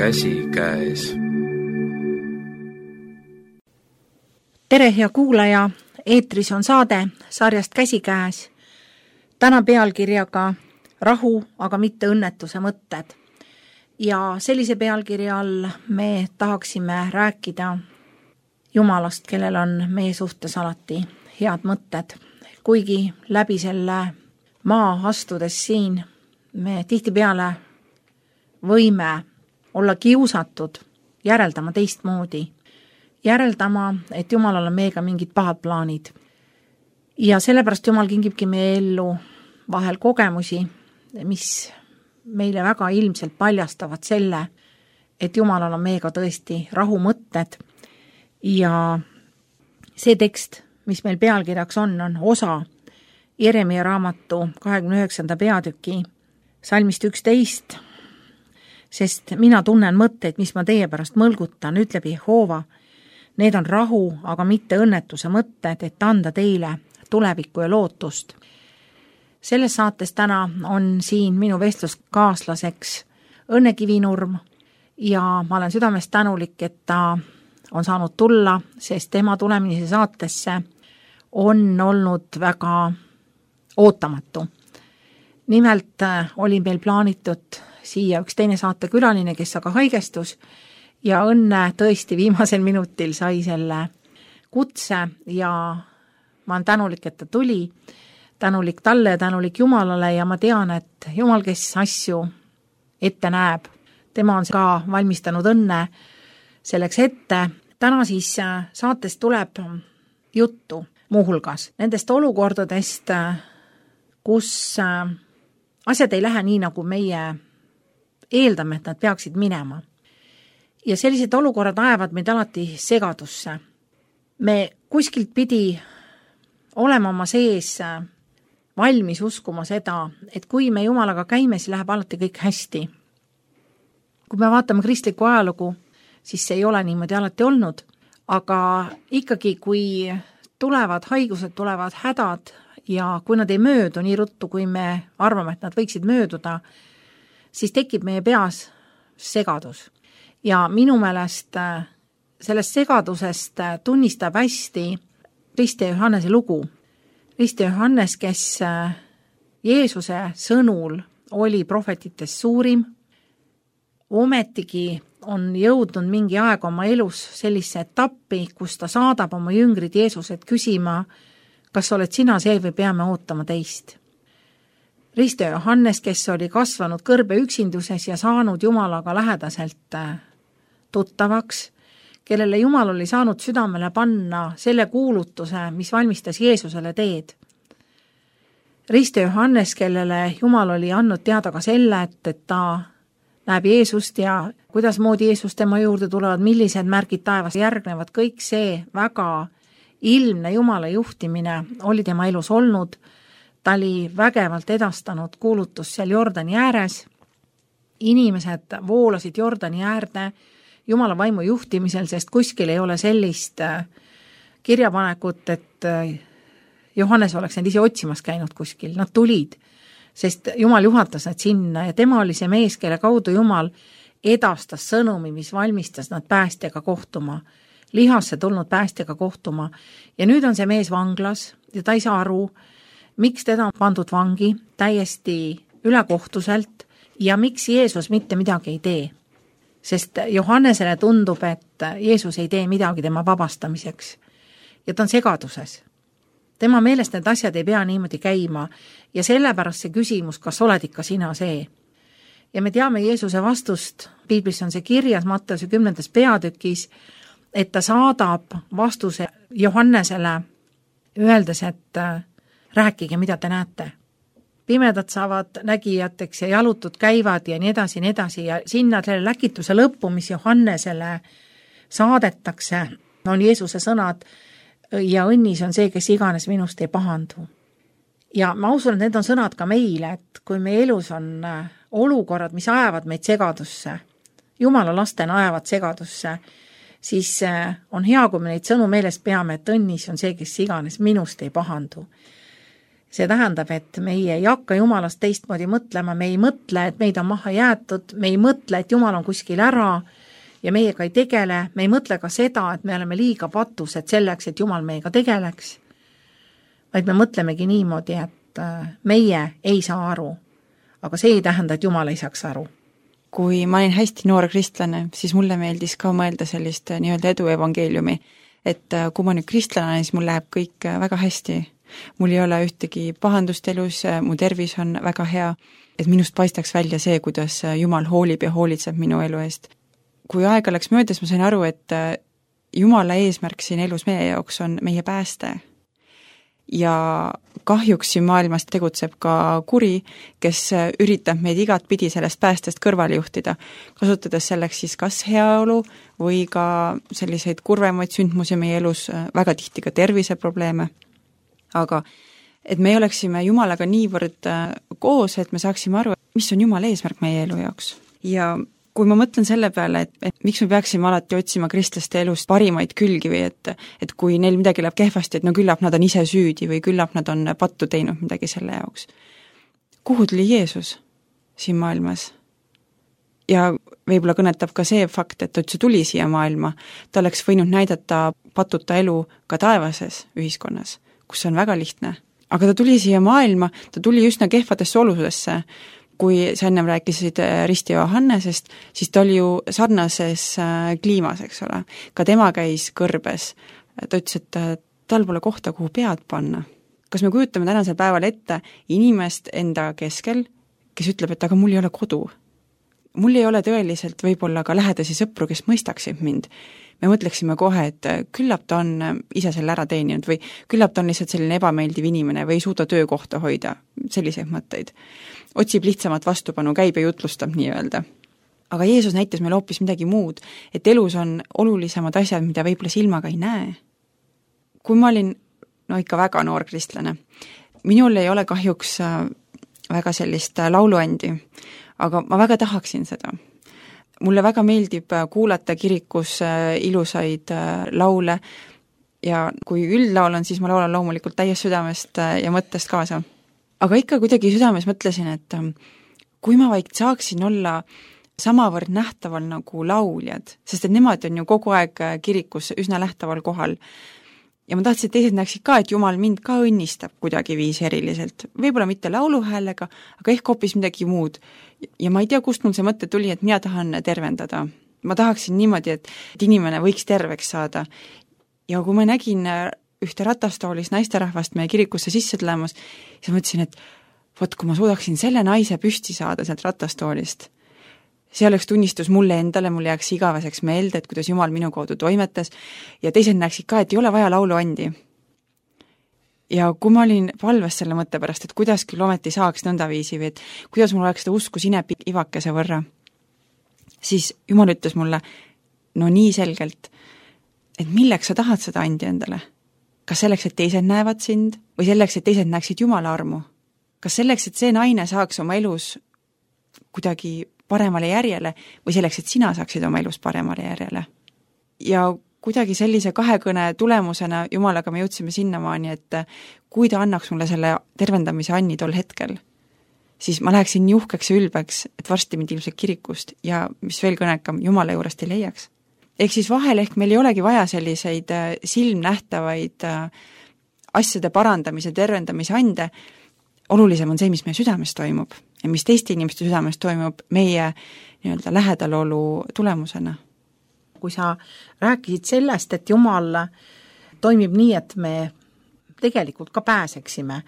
käsikäes. Tere, hea kuulaja! Eetris on saade sarjast Käsikäes. Täna pealkirjaga Rahu, aga mitte õnnetuse mõtted. Ja sellise pealkirja all me tahaksime rääkida Jumalast, kellel on meie suhtes alati head mõtted. Kuigi läbi selle maa astudes siin me tihtipeale võime olla kiusatud järeldama teistmoodi. Järeldama, et Jumalal on meiega mingid pahad plaanid. Ja sellepärast Jumal kingibki meie ellu vahel kogemusi, mis meile väga ilmselt paljastavad selle, et Jumalal on meiega tõesti rahumõtted. Ja see tekst, mis meil pealkirjaks on osa Jeremia raamatu 29. peatüki salmist 11, sest mina tunnen mõtteid, mis ma teie pärast mõlgutan, ütleb Jehova. Need on rahu, aga mitte õnnetuse mõtted, et anda teile tulevikku ja lootust. Selles saates täna on siin minu vestluskaaslaseks Õnne Kivinurm ja ma olen südamest tänulik, et ta on saanud tulla, sest tema tulemise saatesse on olnud väga ootamatu. Nimelt oli meil plaanitud siia üks teine saatekülaline, kes aga haigestus ja Õnne tõesti viimasel minutil sai selle kutse ja ma olen tänulik, et ta tuli, tänulik talle ja tänulik Jumalale ja ma tean, et Jumal, kes asju ette näeb, tema on ka valmistanud Õnne selleks ette. Täna siis saates tuleb juttu muuhulgas nendest olukordadest, kus asjad ei lähe nii, nagu meie eeldame, et nad peaksid minema. Ja sellised olukorrad ajavad meid alati segadusse. Me kuskilt pidi olema oma sees valmis uskuma seda, et kui me Jumalaga käime, siis läheb alati kõik hästi. Kui me vaatame kristlikku ajalugu, siis see ei ole niimoodi alati olnud, aga ikkagi kui tulevad haigused, tulevad hädad ja kui nad ei möödu nii ruttu, kui me arvame, et nad võiksid mööduda, siis tekib meie peas segadus. Ja minu meelest sellest segadusest tunnistab hästi Risti Johannese lugu. Risti Johannes, kes Jeesuse sõnul oli prohvetitest suurim, ometigi on jõudnud mingi aeg oma elus sellise etappi, kus ta saadab oma jüngrid Jeesuset küsima, kas oled sina see või peame ootama teist. Risti Johannes, kes oli kasvanud kõrbe üksinduses ja saanud Jumalaga lähedaselt tuttavaks, kellele Jumal oli saanud südamele panna selle kuulutuse, mis valmistas Jeesusele teed. Risti Johannes, kellele Jumal oli andnud teada ka selle, et ta näeb Jeesust ja kuidas moodi Jeesus tema juurde tulevad, millised märgid taevas järgnevad, kõik see väga ilmne Jumala juhtimine oli tema elus olnud. Ta oli vägevalt edastanud kuulutus seal Jordani ääres. Inimesed voolasid Jordani äärde Jumala vaimu juhtimisel, sest kuskil ei ole sellist kirjapanekut, et Johannes oleks need ise otsimas käinud kuskil. Nad tulid, sest Jumal juhatas nad sinna ja tema oli see mees, kelle kaudu Jumal edastas sõnumi, mis valmistas nad päästjaga kohtuma, lihasse tulnud päästjaga kohtuma. Ja nüüd on see mees vanglas ja ta ei saa aru, miks teda on pandud vangi täiesti ülekohtuselt ja miks Jeesus mitte midagi ei tee. Sest Johannesele tundub, et Jeesus ei tee midagi tema vabastamiseks. Ja ta on segaduses. Tema meelest need asjad ei pea niimoodi käima ja sellepärast see küsimus, kas oled ikka sina see. Ja me teame Jeesuse vastust, Piiblis on see kirjas Matteuse 10. peatükis, et ta saadab vastuse Johannesele öeldes, et rääkige, mida te näete. Pimedad saavad nägijateks ja jalutud käivad ja nii edasi ja sinna selle läkituse lõppu, mis Johannesele saadetakse, on Jeesuse sõnad ja õnnis on see, kes iganes minust ei pahandu. Ja ma usun, et need on sõnad ka meile, et kui meie elus on olukorrad, mis ajavad meid segadusse, Jumala lastena ajavad segadusse, siis on hea, kui me neid sõnu meeles peame, et õnnis on see, kes iganes minust ei pahandu. See tähendab, et meie ei hakka Jumalast teistmoodi mõtlema, me ei mõtle, et meid on maha jäetud, me ei mõtle, et Jumal on kuskil ära ja meiega ei tegele, me ei mõtle ka seda, et me oleme liiga patused selleks, et Jumal meiega tegeleks, vaid me mõtlemegi niimoodi, et meie ei saa aru, aga see ei tähenda, et Jumal ei saaks aru. Kui ma olin hästi noor kristlane, siis mulle meeldis ka mõelda sellist nii-öelda edu evangeeliumi, et kui ma nüüd kristlane, siis mul läheb kõik väga hästi. Mul ei ole ühtegi pahandust elus, mu tervis on väga hea, et minust paistaks välja see, kuidas Jumal hoolib ja hoolitseb minu elu eest. Kui aega läks möödas, ma sain aru, et Jumala eesmärk siin elus meie jaoks on meie pääste. Ja kahjuks siin maailmas tegutseb ka kuri, kes üritab meid igat pidi sellest päästest kõrvale juhtida, kasutades selleks siis kas heaolu või ka selliseid kurvemaid sündmusi meie elus, väga tihti ka terviseprobleeme. Aga et me oleksime Jumalaga niivõrd koos, et me saaksime aru, mis on Jumala eesmärk meie elu jaoks. Ja kui ma mõtlen selle peale, et miks me peaksime alati otsima kristlaste elust parimaid külgi või et kui neil midagi läheb kehvasti, et no küllap nad on ise süüdi või küllap nad on pattu teinud midagi selle jaoks. Kuhu tuli Jeesus siin maailmas? Ja võib-olla kõnetab ka see fakt, et ta tuli siia maailma, ta oleks võinud näidata patuta elu ka taevases ühiskonnas, kus on väga lihtne. Aga ta tuli siia maailma, ta tuli üsna kehvadesse oludesse. Kui sa ennem rääkisid Risti Johannesest, siis ta oli ju sarnases kliimas, eks ole. Ka tema käis kõrbes. Ta ütles, et tal pole kohta, kuhu pead panna. Kas me kujutame tänasel päeval ette inimest enda keskel, kes ütleb, et aga mul ei ole kodu? Mul ei ole tõeliselt võib-olla ka lähedasi sõpru, kes mõistaksid mind. Me mõtleksime kohe, et küllap ta on ise selle ära teeninud või küllap ta on lihtsalt selline ebameeldiv inimene või ei suuda töökohta hoida, selliseid mõtteid. Otsib lihtsamat vastupanu, käib ja jutlustab nii-öelda. Aga Jeesus näitas meile hoopis midagi muud, et elus on olulisemad asjad, mida võib-olla silmaga ei näe. Kui ma olin ikka väga noor kristlane, minul ei ole kahjuks väga sellist lauluandi, aga ma väga tahaksin seda. Mulle väga meeldib kuulata kirikus ilusaid laule ja kui üldlaul on, siis ma laulan loomulikult täies südamest ja mõttest kaasa. Aga ikka kuidagi südames mõtlesin, et kui ma vaid saaksin olla samavõrd nähtaval nagu lauljad, sest et nemad on ju kogu aeg kirikus üsna nähtaval kohal. Ja ma tahtsin, et teised näeksid ka, et Jumal mind ka õnnistab kuidagi viis eriliselt. Võib-olla mitte lauluhäälega, aga ehk hoopis midagi muud. Ja ma ei tea, kust mul see mõte tuli, et mina tahan tervendada. Ma tahaksin niimoodi, et inimene võiks terveks saada. Ja kui ma nägin ühte ratastoolis naisterahvast meie kirikusse sisse tulemas, siis mõtlesin, et vot kui ma suudaksin selle naise püsti saada sealt ratastoolist, see oleks tunnistus mulle endale, mul jääks igaveseks meelde, et kuidas Jumal minu kaudu toimetas ja teised näeksid ka, et ei ole vaja lauluandi. Ja kui ma olin palves selle mõtte pärast, et kuidas küll ometi saaks nõndaviisi või et kuidas mul oleks seda usku sinepi ivakese võrra, siis Jumal ütles mulle nii selgelt, et milleks sa tahad seda andi endale? Kas selleks, et teised näevad sind või selleks, et teised näeksid Jumala armu? Kas selleks, et see naine saaks oma elus kuidagi paremale järjele või selleks, et sina saaksid oma elus paremale järjele. Ja kuidagi sellise kahekõne tulemusena Jumalaga me jõudsime sinnamaani, et kui ta annaks mulle selle tervendamise anni tol hetkel, siis ma läheksin nii uhkeks ja ülbeks, et varsti mind ilmselt kirikust ja mis veel kõnekam, Jumala juurest ei leiaks. Ehk siis vahel meil ei olegi vaja selliseid silmnähtavaid asjade parandamise, tervendamise ande, olulisem on see, mis meie südames toimub ja mis teiste inimeste südames toimub meie nii-öelda lähedalolu tulemusena. Kui sa rääkisid sellest, et Jumal toimib nii, et me tegelikult ka pääseksime,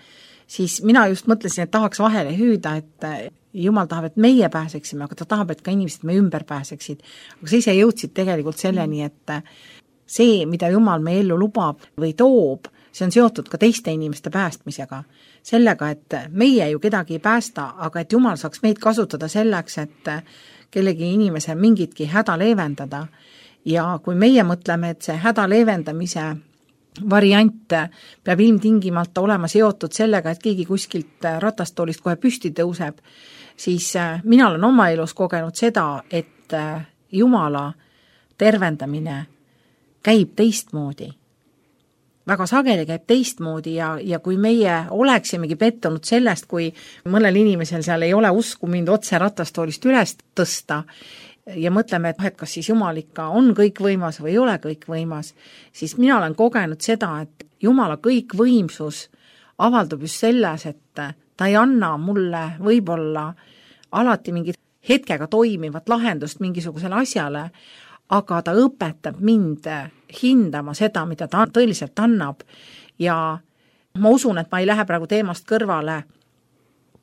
siis mina just mõtlesin, et tahaks vahele hüüda, et Jumal tahab, et meie pääseksime, aga ta tahab, et ka inimesed me ümber pääseksid. Aga sa ise jõudsid tegelikult selleni, et see, mida Jumal meie ellu lubab või toob, see on seotud ka teiste inimeste päästmisega. Sellega, et meie ju kedagi ei päästa, aga et Jumal saaks meid kasutada selleks, et kellegi inimese mingitki häda leevendada. Ja kui meie mõtleme, et see häda leevendamise variant peab ilmtingimalt olema seotud sellega, et keegi kuskilt ratastoolist kohe püsti tõuseb, siis mina olen oma elus kogenud seda, et Jumala tervendamine käib teistmoodi. väga sageli käib teistmoodi ja kui meie oleksimegi pettunud sellest, kui mõnel inimesel seal ei ole usku mind otse ratastoolist üles tõsta ja mõtleme, et kas siis Jumal ikka on kõikvõimas või ei ole kõikvõimas, siis mina olen kogenud seda, et Jumala kõikvõimsus avaldub just selles, et ta ei anna mulle võib-olla alati mingit hetkega toimivat lahendust mingisugusele asjale, aga ta õpetab mind hindama seda, mida ta tõeliselt annab ja ma usun, et ma ei lähe praegu teemast kõrvale,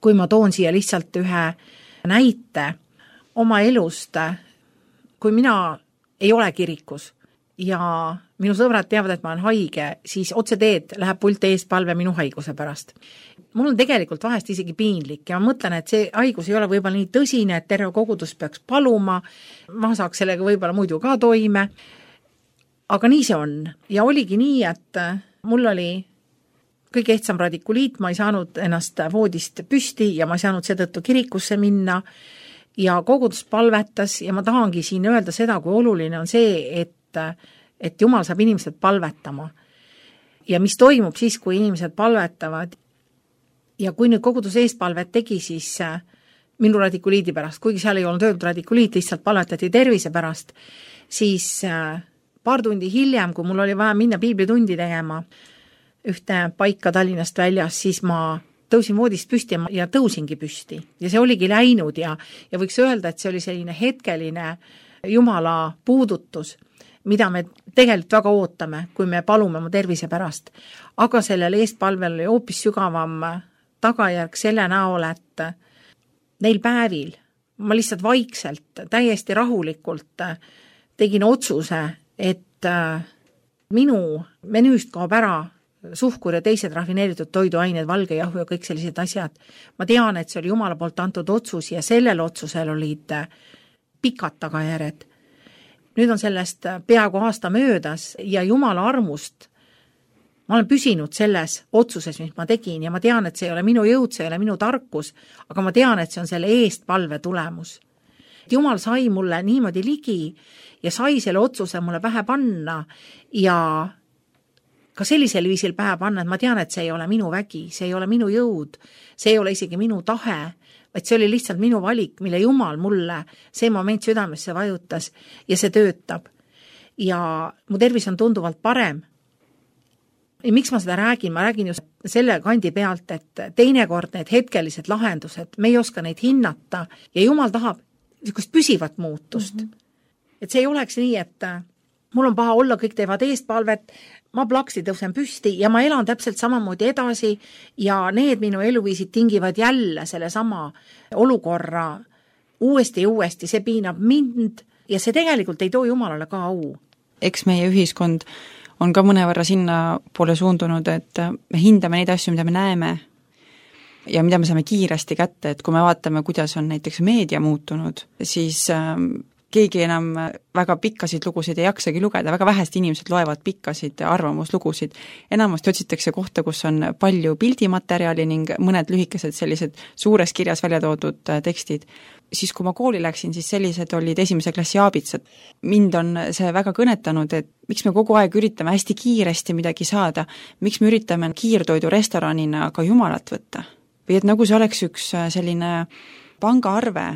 kui ma toon siia lihtsalt ühe näite oma elust, kui mina ei ole kirikus ja minu sõbrad teavad, et ma olen haige, siis otse teed läheb pult eespalve minu haiguse pärast. Mul on tegelikult vahest isegi piinlik ja ma mõtlen, et see haigus ei ole võib-olla nii tõsine, et terve kogudus peaks paluma, ma saaks sellega võib-olla muidu ka toime, aga nii see on. Ja oligi nii, et mul oli kõige ehtsam radikuliit, ma ei saanud ennast voodist püsti ja ma ei saanud seetõttu kirikusse minna ja kogudus palvetas ja ma tahangi siin öelda seda, kui oluline on see, et Jumal saab inimesed palvetama. Ja mis toimub siis, kui inimesed palvetavad ja kui nüüd kogudus eespalvet tegi, siis minu radikuliidi pärast, kuigi seal ei olnud öeldud radikuliit, lihtsalt palvetati tervise pärast, siis paar tundi hiljem, kui mul oli vaja minna piiblitundi tegema ühte paika Tallinnast väljas, siis ma tõusin voodist püsti ja tõusingi püsti. Ja see oligi läinud ja võiks öelda, et see oli selline hetkeline Jumala puudutus, mida me tegelikult väga ootame, kui me palume oma tervise pärast. Aga sellel eestpalvel oli hoopis sügavam tagajärg selle näol, et neil päevil ma lihtsalt vaikselt, täiesti rahulikult tegin otsuse, et minu menüüst kaob ära suhkur ja teised rafineeritud toiduained, valge jahu ja kõik sellised asjad. Ma tean, et see oli Jumala poolt antud otsus ja sellel otsusel olid pikad tagajärjed. Nüüd on sellest peaaegu aasta möödas ja Jumala armust ma olen püsinud selles otsuses, mis ma tegin ja ma tean, et see ei ole minu jõud, see ei ole minu tarkus, aga ma tean, et see on selle eestpalve tulemus. Jumal sai mulle niimoodi ligi ja sai selle otsuse mulle pähe panna ja ka sellisel viisil pähe panna, et ma tean, et see ei ole minu vägi, see ei ole minu jõud, see ei ole isegi minu tahe, vaid see oli lihtsalt minu valik, mille Jumal mulle see moment südamesse vajutas ja see töötab. Ja mu tervis on tunduvalt parem. Ja miks ma seda räägin? Ma räägin just selle kandi pealt, et teinekord need hetkelised lahendused, me ei oska neid hinnata ja Jumal tahab niisugust püsivat muutust. Et see ei oleks nii, et mul on paha olla, kõik teevad eestpalvet, ma plaksti tõusen püsti ja ma elan täpselt samamoodi edasi ja need minu eluviisid tingivad jälle selle sama olukorra uuesti ja uuesti, see piinab mind ja see tegelikult ei too Jumalale ka au. Eks meie ühiskond on ka mõnevõrra sinna poole suundunud, et me hindame neid asju, mida me näeme ja mida me saame kiiresti kätte, et kui me vaatame, kuidas on näiteks meedia muutunud, siis keegi enam väga pikkasid lugusid ei jaksagi lugeda, väga vähest inimesed loevad pikkasid arvamuslugusid. Enamasti otsitakse kohta, kus on palju pildimaterjali ning mõned lühikesed sellised suures kirjas välja toodud tekstid. Siis kui ma kooli läksin, siis sellised olid esimese klassi aabitsad. Mind on see väga kõnetanud, et miks me kogu aeg üritame hästi kiiresti midagi saada, miks me üritame kiirtoidu restoranina ka Jumalat võtta. Või et nagu see oleks üks selline pangaarve,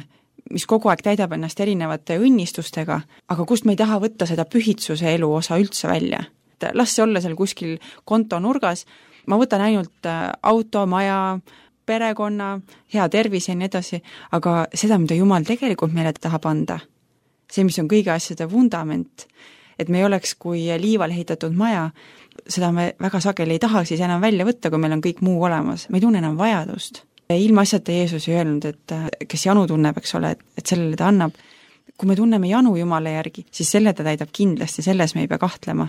mis kogu aeg täidab ennast erinevate õnnistustega, aga kust me ei taha võtta seda pühitsuse elu osa üldse välja. Las see olla seal kuskil konto nurgas, ma võtan ainult auto, maja, perekonna, hea tervis ja nii edasi, aga seda, mida Jumal tegelikult meile tahab anda, see, mis on kõige asjade vundament, et me ei oleks kui liival ehitatud maja, seda me väga sageli ei taha siis enam välja võtta, kui meil on kõik muu olemas, me ei tunne enam vajadust. Ilma asjata Jeesus ei öelnud, et kes janu tunneb, eks ole, et sellele ta annab. Kui me tunneme janu Jumala järgi, siis selle ta täidab kindlasti, selles me ei pea kahtlema.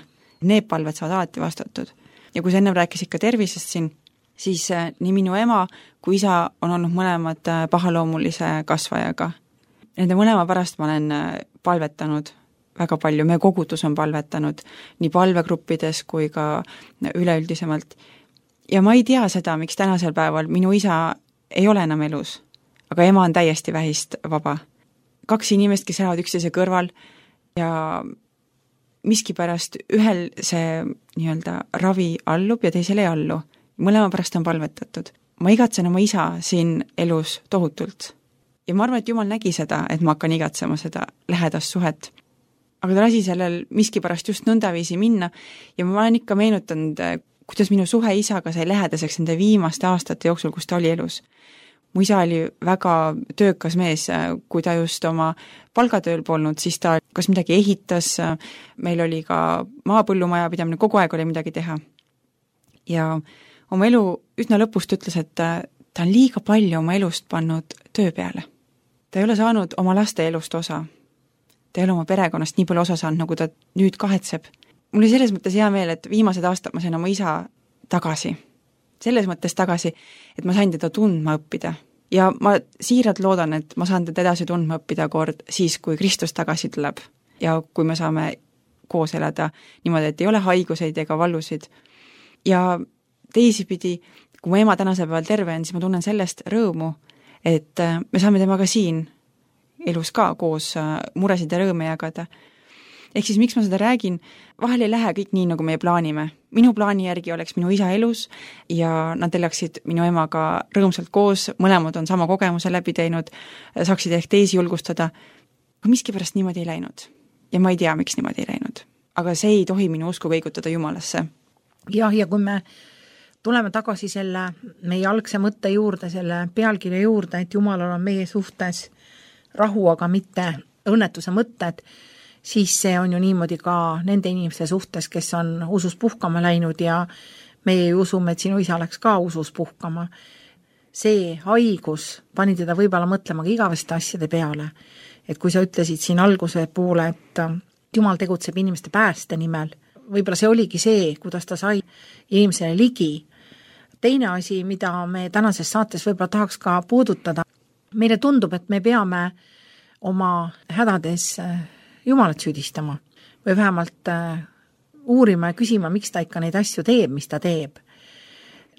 Need palved saavad alati vastatud. Ja kui sa ennem rääkisid ka tervisest siin, siis nii minu ema kui isa on olnud mõlemad pahaloomulise kasvajaga. Nende mõlema pärast ma olen palvetanud väga palju, meie kogudus on palvetanud nii palvegruppides kui ka üleüldisemalt. Ja ma ei tea seda, miks tänasel päeval minu isa ei ole enam elus, aga ema on täiesti vähist vaba. 2 inimest, kes elavad üksteise kõrval ja miskipärast ühel see nii-öelda ravi allub ja teisel ei allu. Mõlema pärast on palvetatud. Ma igatsen oma isa siin elus tohutult. Ja ma arvan, et Jumal nägi seda, et ma hakkan igatsema seda lähedast suhet. Aga ta lasi sellel miskipärast just nõndaviisi minna ja ma olen ikka meenutanud, kuidas minu suhe isaga sai lähedaseks nende viimaste aastate jooksul, kus ta oli elus. Mu isa oli väga töökas mees, kui ta just oma palgatööl polnud, siis ta kas midagi ehitas, meil oli ka maapõllumaja pidamine, kogu aeg oli midagi teha. Ja oma elu üsna lõpust ütles, et ta on liiga palju oma elust pannud töö peale. Ta ei ole saanud oma laste elust osa. Ta ei ole oma perekonnast nii palju osa saanud, nagu ta nüüd kahetseb. Mul oli selles mõttes hea meel, et viimased aastad ma sain oma isa tagasi. Selles mõttes tagasi, et ma sain teda tundma õppida. Ja ma siiralt loodan, et ma saan teda edasi tundma õppida kord siis, kui Kristus tagasi tuleb. Ja kui me saame koos elada niimoodi, et ei ole haiguseid ega vallusid. Ja teisipidi, kui mu ema tänase päeval terve on, siis ma tunnen sellest rõõmu, et me saame temaga siin elus ka koos muresid ja rõõme jagada. Ehk siis miks ma seda räägin, vahel ei lähe kõik nii, nagu meie plaanime. Minu plaani järgi oleks minu isa elus ja nad elaksid minu emaga rõõmsalt koos, mõlemad on sama kogemuse läbi teinud, saaksid ehk teisi julgustada. Aga miskipärast niimoodi ei läinud. Ja ma ei tea, miks niimoodi ei läinud. Aga see ei tohi minu usku kõigutada Jumalasse. Ja kui me tuleme tagasi selle meie algse mõtte juurde, selle pealkirja juurde, et Jumalal on meie suhtes rahu, aga mitte õnnetuse mõtted, siis see on ju niimoodi ka nende inimeste suhtes, kes on usus puhkama läinud ja meie usume, et sinu isa läks ka usus puhkama. See haigus pani teda võib-olla mõtlema ka igaveste asjade peale. Et kui sa ütlesid siin alguse poole, et Jumal tegutseb inimeste pääste nimel, võib-olla see oligi see, kuidas ta sai inimesele ligi. Teine asi, mida me tänases saates võib-olla tahaks ka puudutada, meile tundub, et me peame oma hädades Jumalat süüdistama või vähemalt uurima ja küsima, miks ta ikka neid asju teeb, mis ta teeb.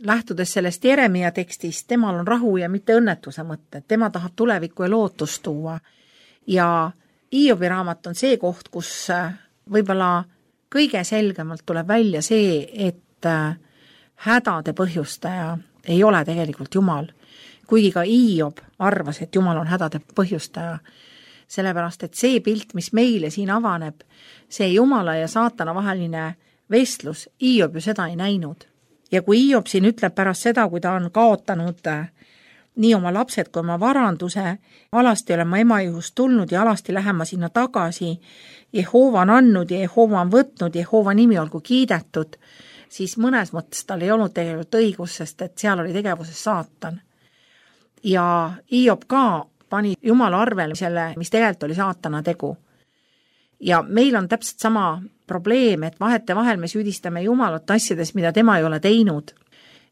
Lähtudes sellest Jeremia tekstist, temal on rahu ja mitte õnnetuse mõtte, tema tahab tulevikku ja lootust tuua. Ja Hiobi raamat on see koht, kus võib-olla kõige selgemalt tuleb välja see, et hädade põhjustaja ei ole tegelikult Jumal. Kuigi ka Hiob arvas, et Jumal on hädade põhjustaja. Sellepärast, et see pilt, mis meile siin avaneb, see Jumala ja saatana vaheline vestlus, Hiob ju seda ei näinud. Ja kui Hiob siin ütleb pärast seda, kui ta on kaotanud nii oma lapsed kui oma varanduse, alasti olen ma ema juhust tulnud ja alasti lähen ma sinna tagasi, Jehova on andnud ja Jehova on võtnud, Jehova nimi olgu kiidetud, siis mõnes mõttes tal ei olnud tegelikult õigus, sest et seal oli tegevuses saatan. Ja Hiob ka pani Jumala arvele selle, mis tegelikult oli saatana tegu. Ja meil on täpselt sama probleem, et vahete vahel me süüdistame Jumalat asjades, mida tema ei ole teinud,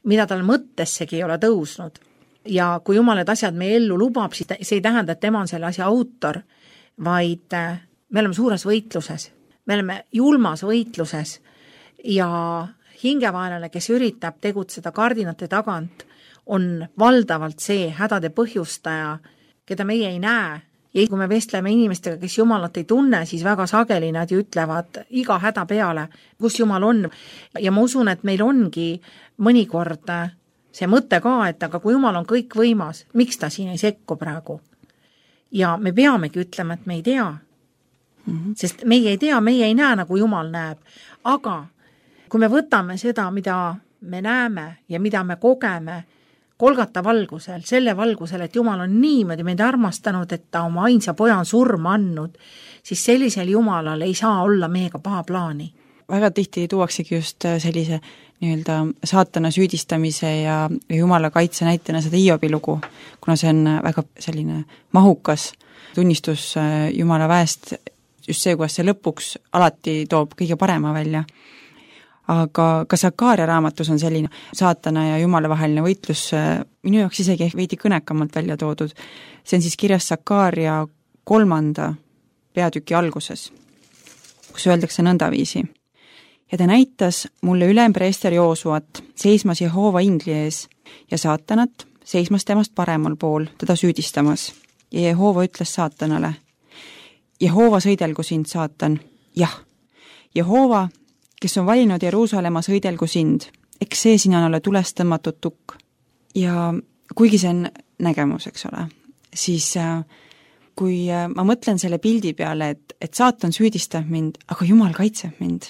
mida tal mõttessegi ei ole tõusnud. Ja kui Jumal need asjad meie ellu lubab, siis see ei tähenda, et tema on selle asja autor, vaid me oleme suures võitluses. Me oleme julmas võitluses ja hingevaenlane, kes üritab tegutseda kardinate tagant, on valdavalt see hädade põhjustaja, keda meie ei näe. Ja kui me vestleme inimestega, kes Jumalat ei tunne, siis väga sageli nad ju ütlevad iga häda peale, kus Jumal on. Ja ma usun, et meil ongi mõnikord see mõte ka, et aga kui Jumal on kõik võimas, miks ta siin ei sekku praegu? Ja me peamegi ütlema, et me ei tea. Sest meie ei tea, meie ei näe, nagu Jumal näeb. Aga kui me võtame seda, mida me näeme ja mida me kogeme Kolgata valgusel, selle valgusel, et Jumal on niimoodi meid armastanud, et ta oma ainsa poja on surma andnud, siis sellisel Jumalal ei saa olla meiega paha plaani. Väga tihti tuuaksegi just sellise nii-öelda saatana süüdistamise ja Jumala kaitse näitena seda Hiobi lugu, kuna see on väga selline mahukas tunnistus Jumala väest, just see, kuidas see lõpuks alati toob kõige parema välja. Aga ka Sakaaria raamatus on selline saatana ja Jumala vaheline võitlus minu jaoks isegi veidi kõnekamalt välja toodud. See on siis kirjas Sakaaria 3. peatüki alguses, kus öeldakse nõndaviisi. Ja ta näitas mulle ülempreester Joosuat seismas Jehova ingli ees ja saatanat seismas temast paremal pool teda süüdistamas. Ja Jehova ütles saatanale, Jehova sõidelgu sind, saatan, jah. Jehoova, kes on valinud Jeruusalemma sõidelgu sind, eks see sina ole tulest tõmmatud tukk. Ja kuigi see on nägemus, eks ole, siis kui ma mõtlen selle pildi peale, et saatan süüdistab mind, aga Jumal kaitseb mind,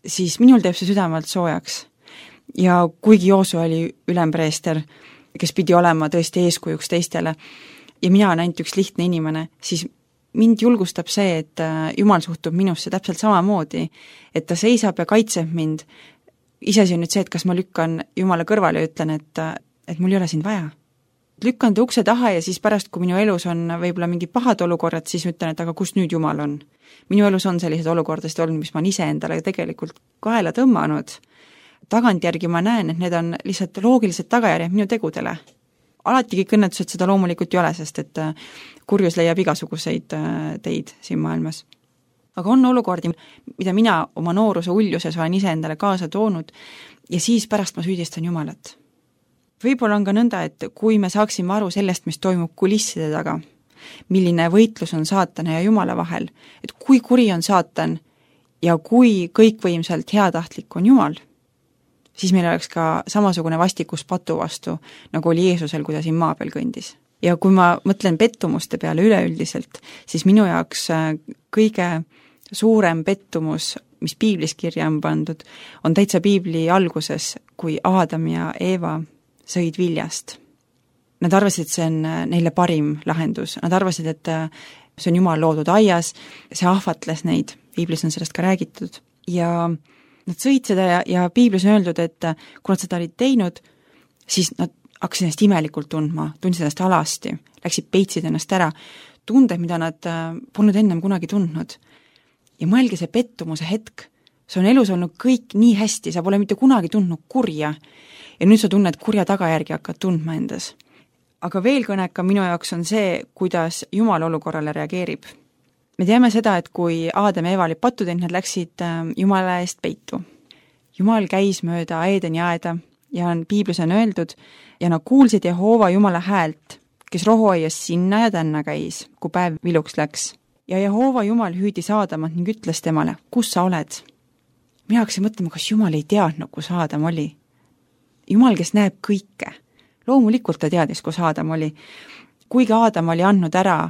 siis minul teeb see südamelt soojaks. Ja kuigi Joosu oli ülempreester, kes pidi olema tõesti eeskujuks teistele, ja mina olen ainult üks lihtne inimene, siis mind julgustab see, et Jumal suhtub minusse täpselt samamoodi, et ta seisab ja kaitseb mind. Iseasi on nüüd see, et kas ma lükkan Jumala kõrvale ja ütlen, et mul ei ole sind vaja. Lükkan ta ukse taha ja siis pärast, kui minu elus on võib-olla mingi pahad olukorrad, siis ütlen, et aga kus nüüd Jumal on? Minu elus on sellised olukordasid olnud, mis ma ise endale tegelikult kaela tõmmanud. Tagantjärgi ma näen, et need on lihtsalt loogilised tagajärjed minu tegudele. Alati kõik õnnetused seda loomulikult ei ole, sest et kurjus leiab igasuguseid teid siin maailmas. Aga on olukordi, mida mina oma nooruse uljuses olen ise endale kaasa toonud ja siis pärast ma süüdistan Jumalat. Võib-olla on ka nõnda, et kui me saaksime aru sellest, mis toimub kulisside taga, milline võitlus on saatana ja Jumala vahel, et kui kuri on saatan ja kui kõikvõimselt heatahtlik on Jumal, siis meil oleks ka samasugune vastikus patu vastu, nagu oli Jeesusel, kui ta siin maa peal kõndis. Ja kui ma mõtlen pettumuste peale üleüldiselt, siis minu jaoks kõige suurem pettumus, mis piiblis kirja on pandud, on täitsa piibli alguses, kui Aadam ja Eeva sõid viljast. Nad arvasid, et see on neile parim lahendus. Nad arvasid, et see on Jumal loodud aias, see ahvatles neid, piiblis on sellest ka räägitud. Ja nad sõid seda ja piiblis on öeldud, et kui nad seda olid teinud, siis nad hakkasid ennast imelikult tundma, tundsid ennast alasti, läksid peitsid ennast ära, tunded, mida nad polnud ennem kunagi tundnud. Ja mõelge see pettumuse hetk, see on elus olnud kõik nii hästi, sa pole mitte kunagi tundnud kurja ja nüüd sa tunned kurja tagajärgi hakkad tundma endas. Aga veel kõneka minu jaoks on see, kuidas Jumal olukorrale reageerib. Me teame seda, et kui Aadam ja Eeva olid pattu teinud, nad läksid Jumala eest peitu. Jumal käis mööda Eedeni aeda ja piiblis on öeldud, ja nad kuulsid Jehoova Jumala häält, kes rohuaias sinna ja tänna käis, kui päev viluks läks. Ja Jehoova Jumal hüüdis Aadamat ning ütles temale, kus sa oled? Mina hakkasin mõtlema, kas Jumal ei teadnud, kus Aadam oli. Jumal, kes näeb kõike. Loomulikult ta teadis, kus Aadam oli. Kuigi Aadam oli andnud ära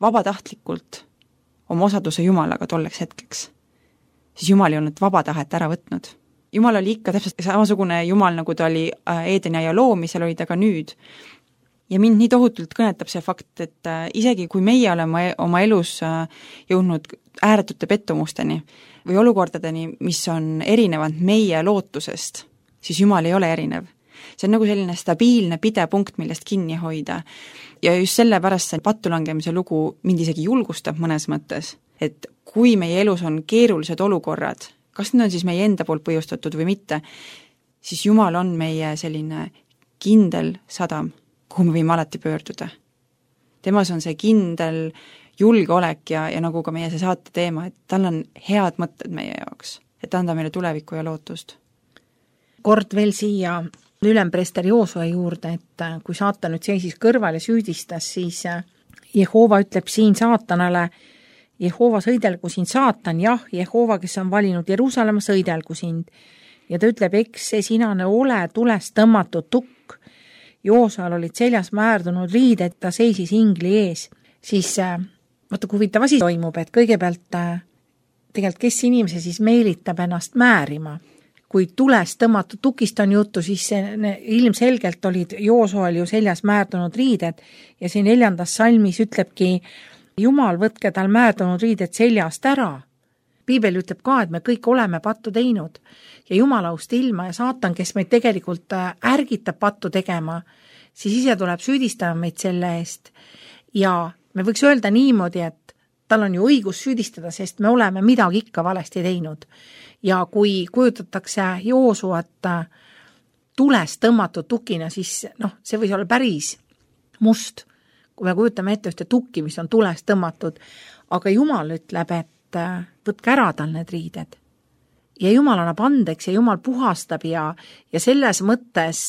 vabatahtlikult oma osaduse Jumalaga tolleks hetkeks, siis Jumal ei olnud vaba tahet ära võtnud. Jumal oli ikka täpselt samasugune Jumal, nagu ta oli Eedeni aia loomisel, oli ta ka nüüd. Ja mind nii tohutult kõnetab see fakt, et isegi kui meie oleme oma elus jõudnud ääretute pettumusteni või olukordadeni, mis on erinevad meie lootusest, siis Jumal ei ole erinev. See on nagu selline stabiilne pidepunkt, millest kinni hoida. Ja just sellepärast see pattulangemise lugu mind isegi julgustab mõnes mõttes, et kui meie elus on keerulised olukorrad, kas need on siis meie enda poolt põhjustatud või mitte, siis Jumal on meie selline kindel sadam, kuhu me võime alati pöörduda. Temas on see kindel julgeolek ja nagu ka meie see saate teema, et tal on head mõtted meie jaoks, et anda meile tulevikku ja lootust. Kord veel siia ülempreester Joosue juurde, et kui saatan nüüd seisis kõrval ja süüdistas, siis Jehoova ütleb siin saatanale, Jehoova sõidelgu sind saatan, jah, Jehoova, kes on valinud Jeruusalemma, sõidelgu sind. Ja ta ütleb, eks see sinane ole tulest tõmmatud tukk. Joosuel olid seljas määrdunud riided, ta seisis ingli ees. Siis vaata, kui huvitav asi toimub, et kõigepealt tegelikult kes inimese siis meelitab ennast määrima. Kui tulest tõmmatud tukist on juttu, siis ilmselgelt olid Joosuel ju seljas määrdunud riided ja siin 4. salmis ütlebki, Jumal, võtke tal määrdunud riided seljast ära. Piibel ütleb ka, et me kõik oleme pattu teinud ja Jumalaust ilma ja saatan, kes meid tegelikult ärgitab pattu tegema, siis ise tuleb süüdistama meid selle eest. Ja me võiks öelda niimoodi, et tal on ju õigus süüdistada, sest me oleme midagi ikka valesti teinud. Ja kui kujutatakse Joosuat tulest tõmmatud tukina, siis see võis olla päris must, kui me kujutame ette ühte tukki, mis on tulest tõmmatud, aga Jumal ütleb, et võtke ära tal need riided. Ja Jumal annab andeks ja Jumal puhastab ja selles mõttes,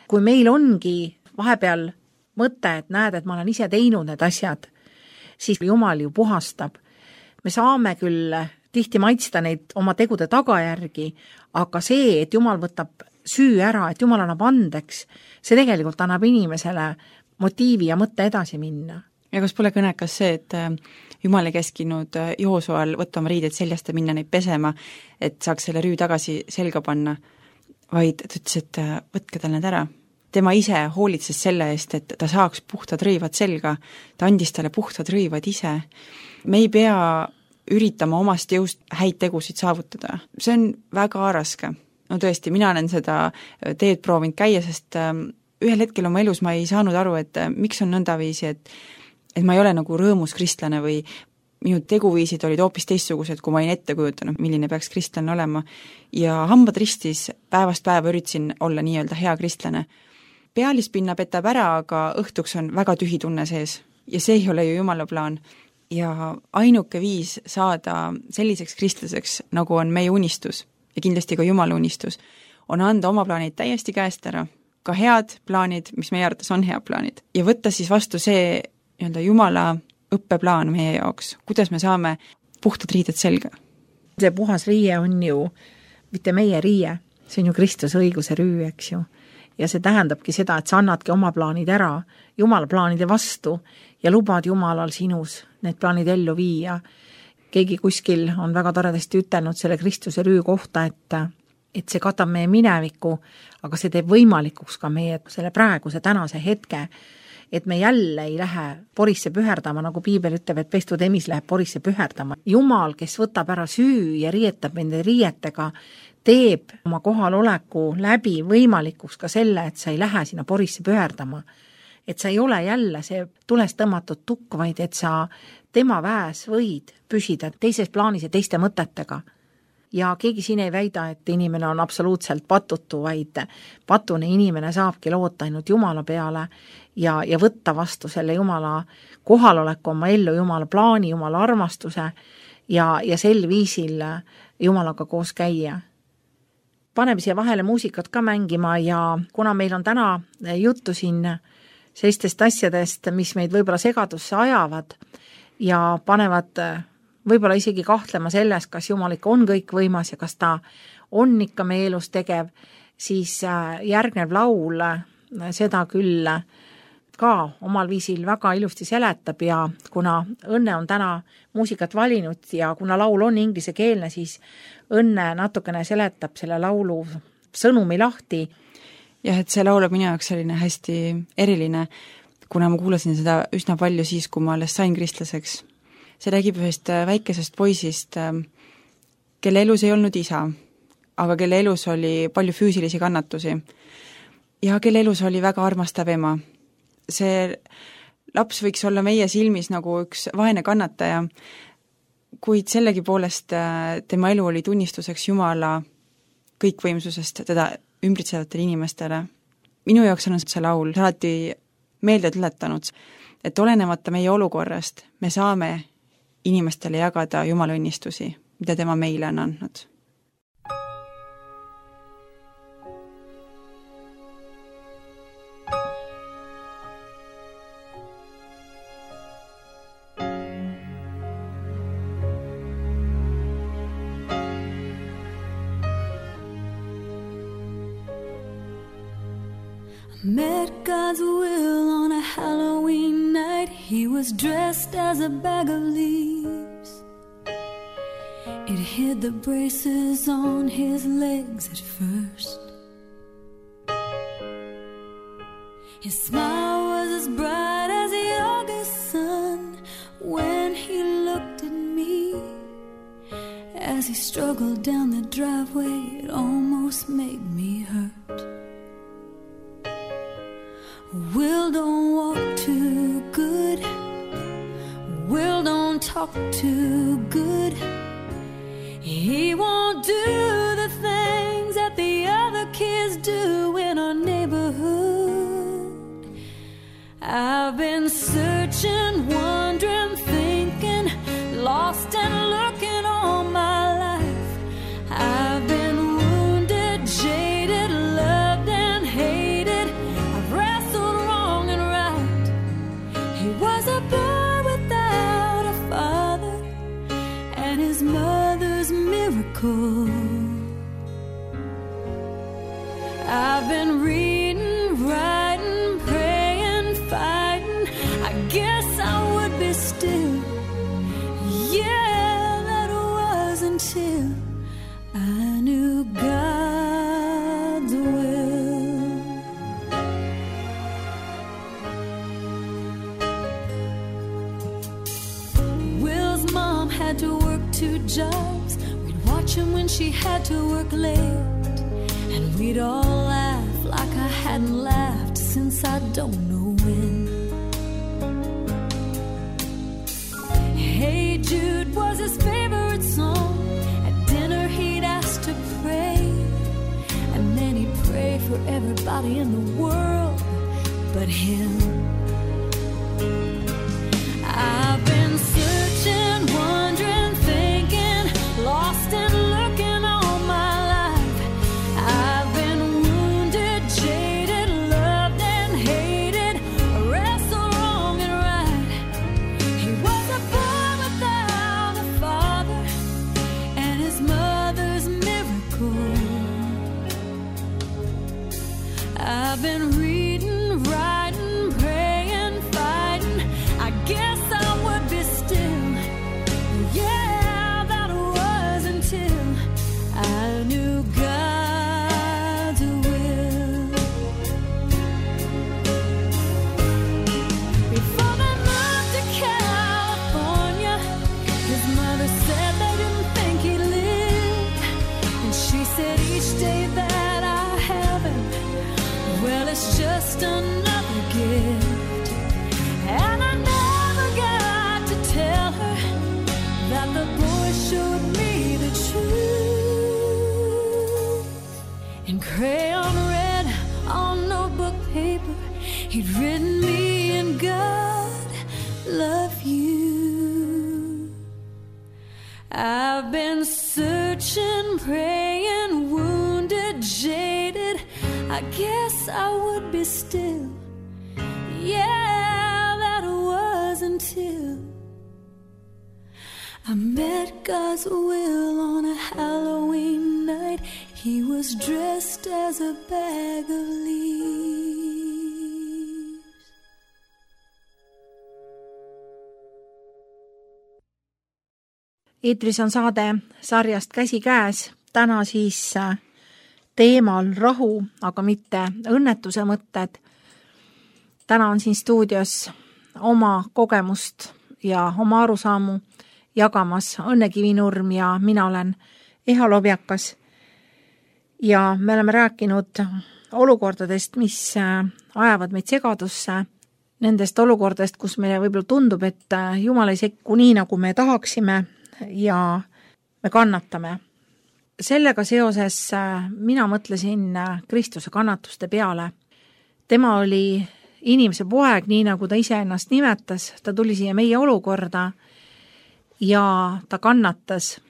kui meil ongi vahepeal mõte, et näed, et ma olen ise teinud need asjad, siis Jumal ju puhastab. Me saame küll tihti maitsta neid oma tegude tagajärgi, aga see, et Jumal võtab süü ära, et Jumal annab andeks, see tegelikult annab inimesele motiivi ja mõtte edasi minna. Ja kas pole kõnekas see, et Jumal ei käskinud Joosual võtta oma riideid seljast ja minna neid pesema, et saaks selle rüü tagasi selga panna, vaid ta ütles, et võtke tal need ära. Tema ise hoolitses selle eest, et ta saaks puhtad rõivad selga, ta andis talle puhtad rõivad ise. Me ei pea üritama omast jõust häid tegusid saavutada. See on väga raske. No tõesti, mina olen seda teed proovinud käia, sest ühel hetkel oma elus ma ei saanud aru, et miks on nõndaviisi, et ma ei ole nagu rõõmus kristlane või minu teguviisid olid hoopis teistsugused, kui ma olin ette kujutanud, milline peaks kristlane olema. Ja hambad ristis päevast päeva üritasin olla nii-öelda hea kristlane. Pealispinna petab ära, aga õhtuks on väga tühi tunne sees ja see ei ole ju Jumala plaan. Ja ainuke viis saada selliseks kristlaseks, nagu on meie unistus ja kindlasti ka Jumala unistus, on anda oma plaanid täiesti käest ära, ka head plaanid, mis meie arvates on head plaanid, ja võtta siis vastu see nii-öelda Jumala õppeplaan meie jaoks, kuidas me saame puhtad riided selga. See puhas riie on ju mitte meie riie, see on ju Kristuse õiguse rüü, eks ju. Ja see tähendabki seda, et sa annadki oma plaanid ära Jumala plaanide vastu ja lubad Jumalal sinus need plaanid ellu viia. Keegi kuskil on väga toredasti ütelnud selle Kristuse rüü kohta, et see katab meie mineviku, aga see teeb võimalikuks ka meie selle praeguse tänase hetke, et me jälle ei lähe porisse püherdama, nagu Piibel ütleb, et pestud emis läheb porisse püherdama. Jumal, kes võtab ära süü ja riietab nende riietega, teeb oma kohaloleku läbi võimalikuks ka selle, et sa ei lähe sinna porisse püherdama. Et sa ei ole jälle see tulest tõmmatud tukk, vaid et sa tema väes võid püsida teises plaanis ja teiste mõtetega. Ja keegi siin ei väida, et inimene on absoluutselt patutu, vaid patune inimene saabki loota ainult Jumala peale ja võtta vastu selle Jumala kohaloleku oma ellu, Jumala plaani, Jumala armastuse ja sel viisil Jumalaga koos käia. Paneme siia vahele muusikat ka mängima ja kuna meil on täna juttu siin sellistest asjadest, mis meid võib-olla segadusse ajavad ja panevad võib-olla isegi kahtlema selles, kas Jumal ikka on kõik võimas ja kas ta on ikka meie elus tegev, siis järgnev laul seda küll ka omal viisil väga ilusti seletab ja kuna Õnne on täna muusikat valinud ja kuna laul on inglisekeelne, siis Õnne natukene seletab selle laulu sõnumi lahti. Jah, et see laul on minu jaoks selline hästi eriline, kuna ma kuulasin seda üsna palju siis, kui ma alles sain kristlaseks. See räägib ühest väikesest poisist, kelle elus ei olnud isa, aga kelle elus oli palju füüsilisi kannatusi ja kelle elus oli väga armastav ema. See laps võiks olla meie silmis nagu üks vaene kannataja, kuid sellegi poolest tema elu oli tunnistuseks Jumala kõikvõimsusest teda ümbritsevatele inimestele. Minu jaoks on see laul alati meelde tuletanud, et olenemata meie olukorrast me saame inimestele jagada Jumala õnnistusi, mida tema meile on andnud. Met God's will on a Halloween night. He was dressed as a bag of leaves. It hid the braces on his legs at first. His smile was as bright as the August sun when he looked at me. As he struggled down the driveway, it almost made me hurt. Will don't walk too good. Will don't talk too good. He won't do the things that the other kids do in our neighborhood. I've been searching, wondering, thinking, lost and looking all my life. I've been wounded, jaded, loved and hated. I've wrestled wrong and right. He was a boy without a father, and his mother miracle. I've been reading, writing, praying, fighting. I guess I would be still. Yeah, that was until I knew God's will. Will's mom had to work 2 jobs. We'd watch him when she had to work late. And we'd all laugh like I hadn't laughed since I don't know when. Hey Jude was his favorite song. At dinner he'd ask to pray. And then he'd pray for everybody in the world but him. I've been searching, wondering, thinking, lost and looking all my life. I've been wounded, jaded, loved and hated, wrestled wrong and right. He was a boy without a father and his mother's miracle. I've been reading, writing, praying, fighting. I guess I would be still. Yeah, that was until I knew God's will. Before they moved to California, his mother said they didn't think he'd live. And she said each day that I haven't, well, it's just another gift. And I never got to tell her that the boy showed me the truth. In crayon red on notebook paper, he'd written me and God love you. I've been searching, praying, wounded, jaded. I guess I would be still. Yeah, that was until I met God's will on a Halloween night. He was dressed as a bag of leaves. Eetris on saade sarjast Käsikäes. Täna siis teemal rahu, aga mitte õnnetuse mõtted. Täna on siin stuudios oma kogemust ja oma arusaamu jagamas Õnne Kivinurm ja mina olen Eha Lobjakas. Ja me oleme rääkinud olukordadest, mis ajavad meid segadusse, nendest olukordadest, kus meile võib-olla tundub, et Jumal ei sekku nii, nagu me tahaksime ja me kannatame. Sellega seoses mina mõtlesin Kristuse kannatuste peale. Tema oli inimese poeg, nii nagu ta ise ennast nimetas, ta tuli siia meie olukorda ja ta kannatas.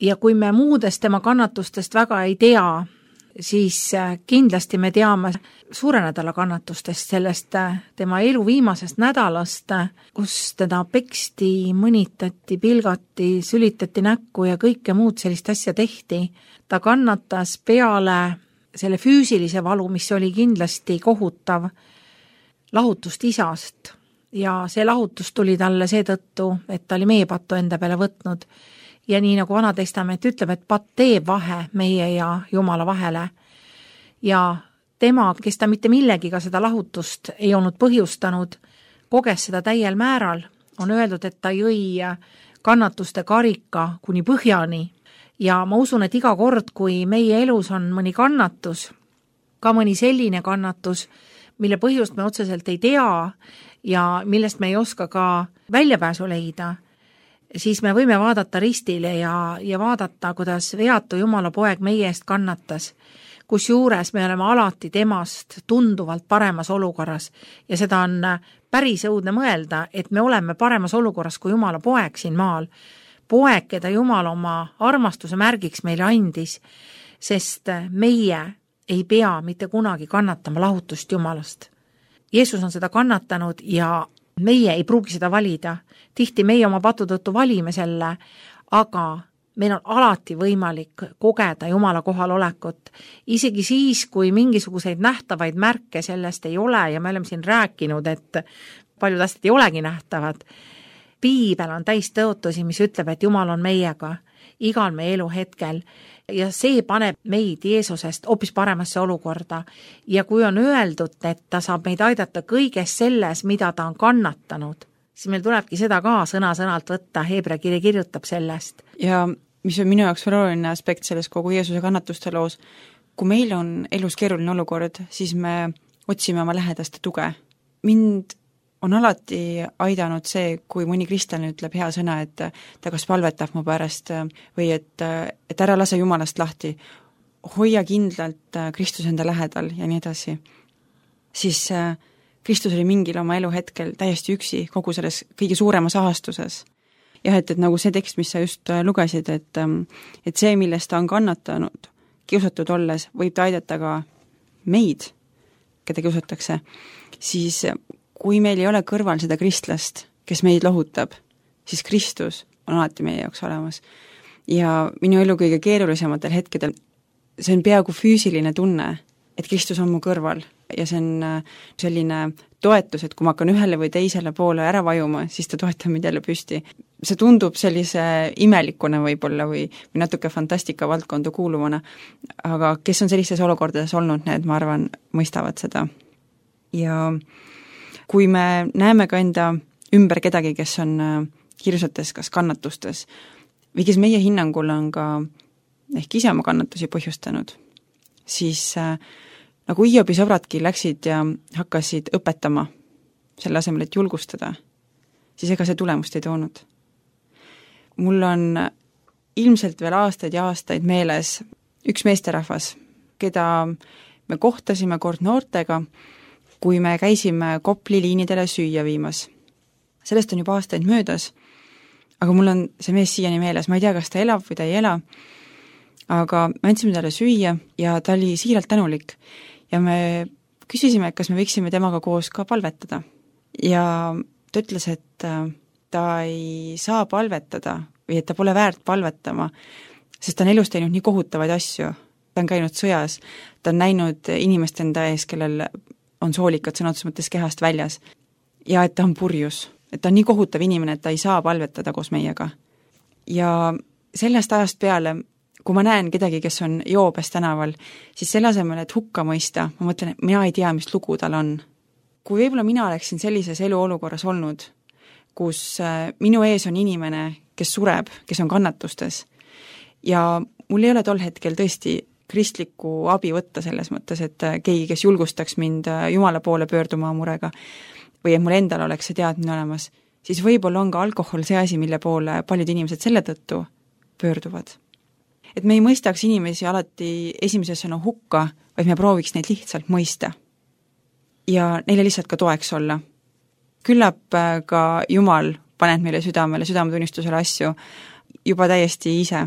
Ja kui me muudest tema kannatustest väga ei tea, siis kindlasti me teame suure nädala kannatustest, sellest tema elu viimasest nädalast, kus teda peksti, mõnitati, pilgati, sülitati näkku ja kõike muud sellist asja tehti. Ta kannatas peale selle füüsilise valu, mis oli kindlasti kohutav, lahutust isast. Ja see lahutus tuli talle seetõttu, et ta oli meie pattu enda peale võtnud. Ja nii nagu Vana Testament ütleb, et patt teeb vahe meie ja Jumala vahele. Ja tema, kes ta mitte millegiga seda lahutust ei olnud põhjustanud, koges seda täiel määral. On öeldud, et ta jõi kannatuste karika kuni põhjani. Ja ma usun, et iga kord, kui meie elus on mõni kannatus, ka mõni selline kannatus, mille põhjust me otseselt ei tea ja millest me ei oska ka väljapääsu leida, siis me võime vaadata ristile ja vaadata, kuidas veatu Jumala poeg meie eest kannatas, kus juures me oleme alati temast tunduvalt paremas olukorras ja seda on päris õudne mõelda, et me oleme paremas olukorras kui Jumala poeg siin maal. Poeg, keda Jumal oma armastuse märgiks meile andis, sest meie ei pea mitte kunagi kannatama lahutust Jumalast. Jeesus on seda kannatanud ja meie ei pruugi seda valida. Tihti meie oma patu tõttu valime selle, aga meil on alati võimalik kogeda Jumala kohalolekut, isegi siis, kui mingisuguseid nähtavaid märke sellest ei ole ja me oleme siin rääkinud, et paljud asjad ei olegi nähtavad. Piibel on täis tõotusi, mis ütleb, et Jumal on meiega igal meie elu hetkel ja see paneb meid Jeesusest hoopis paremasse olukorda. Ja kui on öeldud, et ta saab meid aidata kõiges selles, mida ta on kannatanud, siis meil tulebki seda ka sõna-sõnalt võtta, Heebrea kiri kirjutab sellest. Ja mis on minu jaoks veel oluline aspekt selles kogu Jeesuse kannatuste loos, kui meil on elus keeruline olukord, siis me otsime oma lähedaste tuge. Mind on alati aidanud see, kui mõni kristlane ütleb hea sõna, et ta kas palvetab mu pärast või et ära lase Jumalast lahti, hoia kindlalt Kristus enda lähedal ja nii edasi. Siis Kristus oli mingil oma elu hetkel täiesti üksi kogu selles kõige suuremas ahastuses. Jah, et nagu see tekst, mis sa just lugesid, et see, millest ta on kannatanud, kiusatud olles, võib ta aidata ka meid, keda kiusatakse, siis kui meil ei ole kõrval seda kristlast, kes meid lohutab, siis Kristus on alati meie jaoks olemas. Ja minu elu kõige keerulisematel hetkedel, see on peaaegu füüsiline tunne, et Kristus on mu kõrval ja see on selline toetus, et kui ma hakkan ühele või teisele poole ära vajuma, siis ta toetab mind jälle püsti. See tundub sellise imelikuna võib-olla või natuke fantastika valdkonda kuuluvana, aga kes on sellistes olukordades olnud, need, ma arvan, mõistavad seda. Ja kui me näeme ka enda ümber kedagi, kes on hirsates, kas kannatustes, või kes meie hinnangul on ka ehk ise oma kannatusi põhjustanud, siis nagu Hiobi sõbradki läksid ja hakkasid õpetama selle asemel, et julgustada, siis ega see tulemust ei toonud. Mul on ilmselt veel aastaid ja aastaid meeles üks meesterahvas, keda me kohtasime kord noortega, kui me käisime Kopli liinidele süüa viimas. Sellest on juba aastaid möödas, aga mul on see mees siiani meeles, ma ei tea, kas ta elab või ta ei ela, aga me andsime talle süüa ja ta oli siiralt tänulik ja me küsisime, et kas me võiksime temaga koos ka palvetada. Ja ta ütles, et ta ei saa palvetada või et ta pole väärt palvetama, sest ta on elus teinud nii kohutavaid asju. Ta on käinud sõjas, ta on näinud inimest enda ees, kellel on soolikad sõnatus mõttes kehast väljas ja et ta on purjus, et ta on nii kohutav inimene, et ta ei saa palvetada koos meiega. Ja sellest ajast peale, kui ma näen kedagi, kes on joobes tänaval, siis selle asemel, et hukka mõista, ma mõtlen, et mina ei tea, mis lugu tal on. Kui võib-olla mina oleksin sellises eluolukorras olnud, kus minu ees on inimene, kes sureb, kes on kannatustes ja mul ei ole tol hetkel tõesti kristlikku abi võtta selles mõttes, et keegi, kes julgustaks mind Jumala poole pöörduma murega või et mul endal oleks see teadmine olemas, siis võib-olla on ka alkohol see asi, mille poole paljud inimesed selle tõttu pöörduvad. Et me ei mõistaks inimesi alati esimeses sõna hukka, vaid me prooviks neid lihtsalt mõista ja neile lihtsalt ka toeks olla. Küllap ka Jumal paneb meile südametunnistusele asju juba täiesti ise.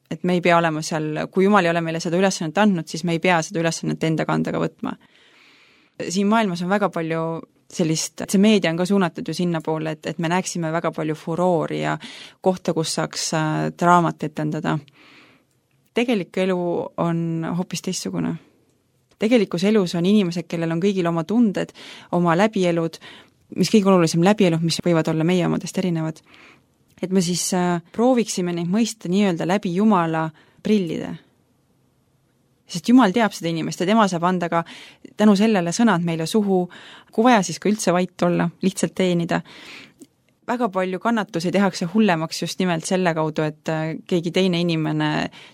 Et me ei pea olema seal, kui Jumal ei ole meile seda ülesannet andnud, siis me ei pea seda ülesannet enda kandaga võtma. Siin maailmas on väga palju sellist, see meedia on ka suunatud ju sinna poole, et me näeksime väga palju furoori ja kohta, kus saaks draamat etendada. Tegelik elu on hoopis teistsugune. Tegelikus elus on inimesed, kellel on kõigil oma tunded, oma läbielud, mis kõige olulisem läbielud, mis võivad olla meie omadest erinevad. Et me siis prooviksime neid mõista nii-öelda läbi Jumala prillide. Sest Jumal teab seda inimest ja tema saab anda ka tänu sellele sõnad meile suhu, kui vaja siis ka üldse vait olla, lihtsalt teenida. Väga palju kannatusi tehakse hullemaks just nimelt selle kaudu, et keegi teine inimene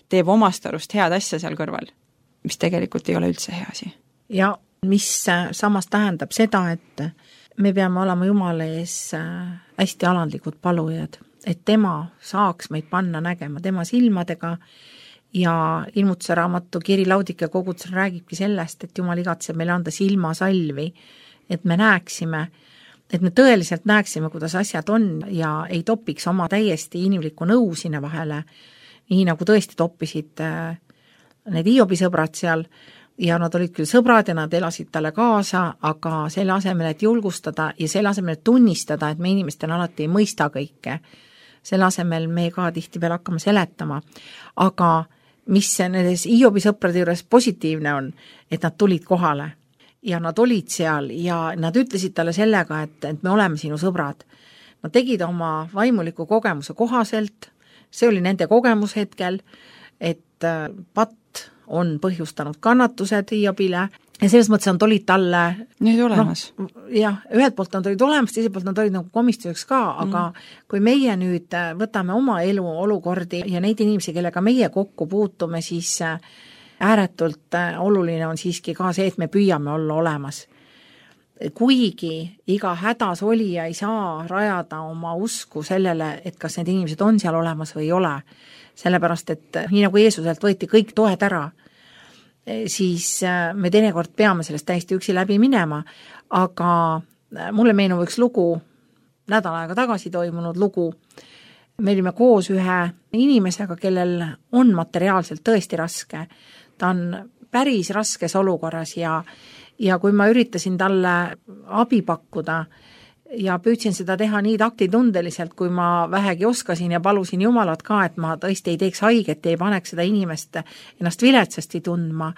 teeb omast arust head asja seal kõrval, mis tegelikult ei ole üldse hea asi. Ja mis samas tähendab seda, et me peame olema Jumala ees hästi alandlikud palujad, et tema saaks meid panna nägema tema silmadega ja ilmutuse raamatu Kiri Laudike kogudusel räägibki sellest, et Jumal igatseb meile anda silmasalvi, et me näeksime, et me tõeliselt näeksime, kuidas asjad on ja ei topiks oma täiesti inimlikku nõu sinna vahele, nii nagu tõesti toppisid need Hiobi sõbrad seal ja nad olid küll sõbrad ja nad elasid talle kaasa, aga selle asemel, et julgustada ja selle asemel, et tunnistada, et me inimestena alati ei mõista kõike, selle asemel me ka tihti veel hakkame seletama, aga mis nendes Hiobi sõprade juures positiivne on, et nad tulid kohale ja nad olid seal ja nad ütlesid talle sellega, et me oleme sinu sõbrad. Nad tegid oma vaimuliku kogemuse kohaselt, see oli nende kogemus hetkel, et patt on põhjustanud kannatused Hiobile ja selles mõttes nad olid talle need olemas. Jah, ühelt poolt nad olid olemas, teiselt poolt nad olid nagu komistuseks ka, aga kui meie nüüd võtame oma elu olukordi ja neid inimesi, kellega meie kokku puutume, siis ääretult oluline on siiski ka see, et me püüame olla olemas. Kuigi iga hädas olija ei saa rajada oma usku sellele, et kas need inimesed on seal olemas või ei ole, sellepärast et nii nagu Jeesuselt võeti kõik toed ära, siis me teinekord peame sellest täiesti üksi läbi minema, aga mulle meenub üks lugu, nädal aega tagasi toimunud lugu, me olime koos ühe inimesega, kellel on materiaalselt tõesti raske, ta on päris raskes olukorras ja kui ma üritasin talle abi pakkuda ja püüdsin seda teha nii taktitundeliselt, kui ma vähegi oskasin ja palusin Jumalat ka, et ma tõesti ei teeks haiget ja ei paneks seda inimest ennast viletsasti tundma,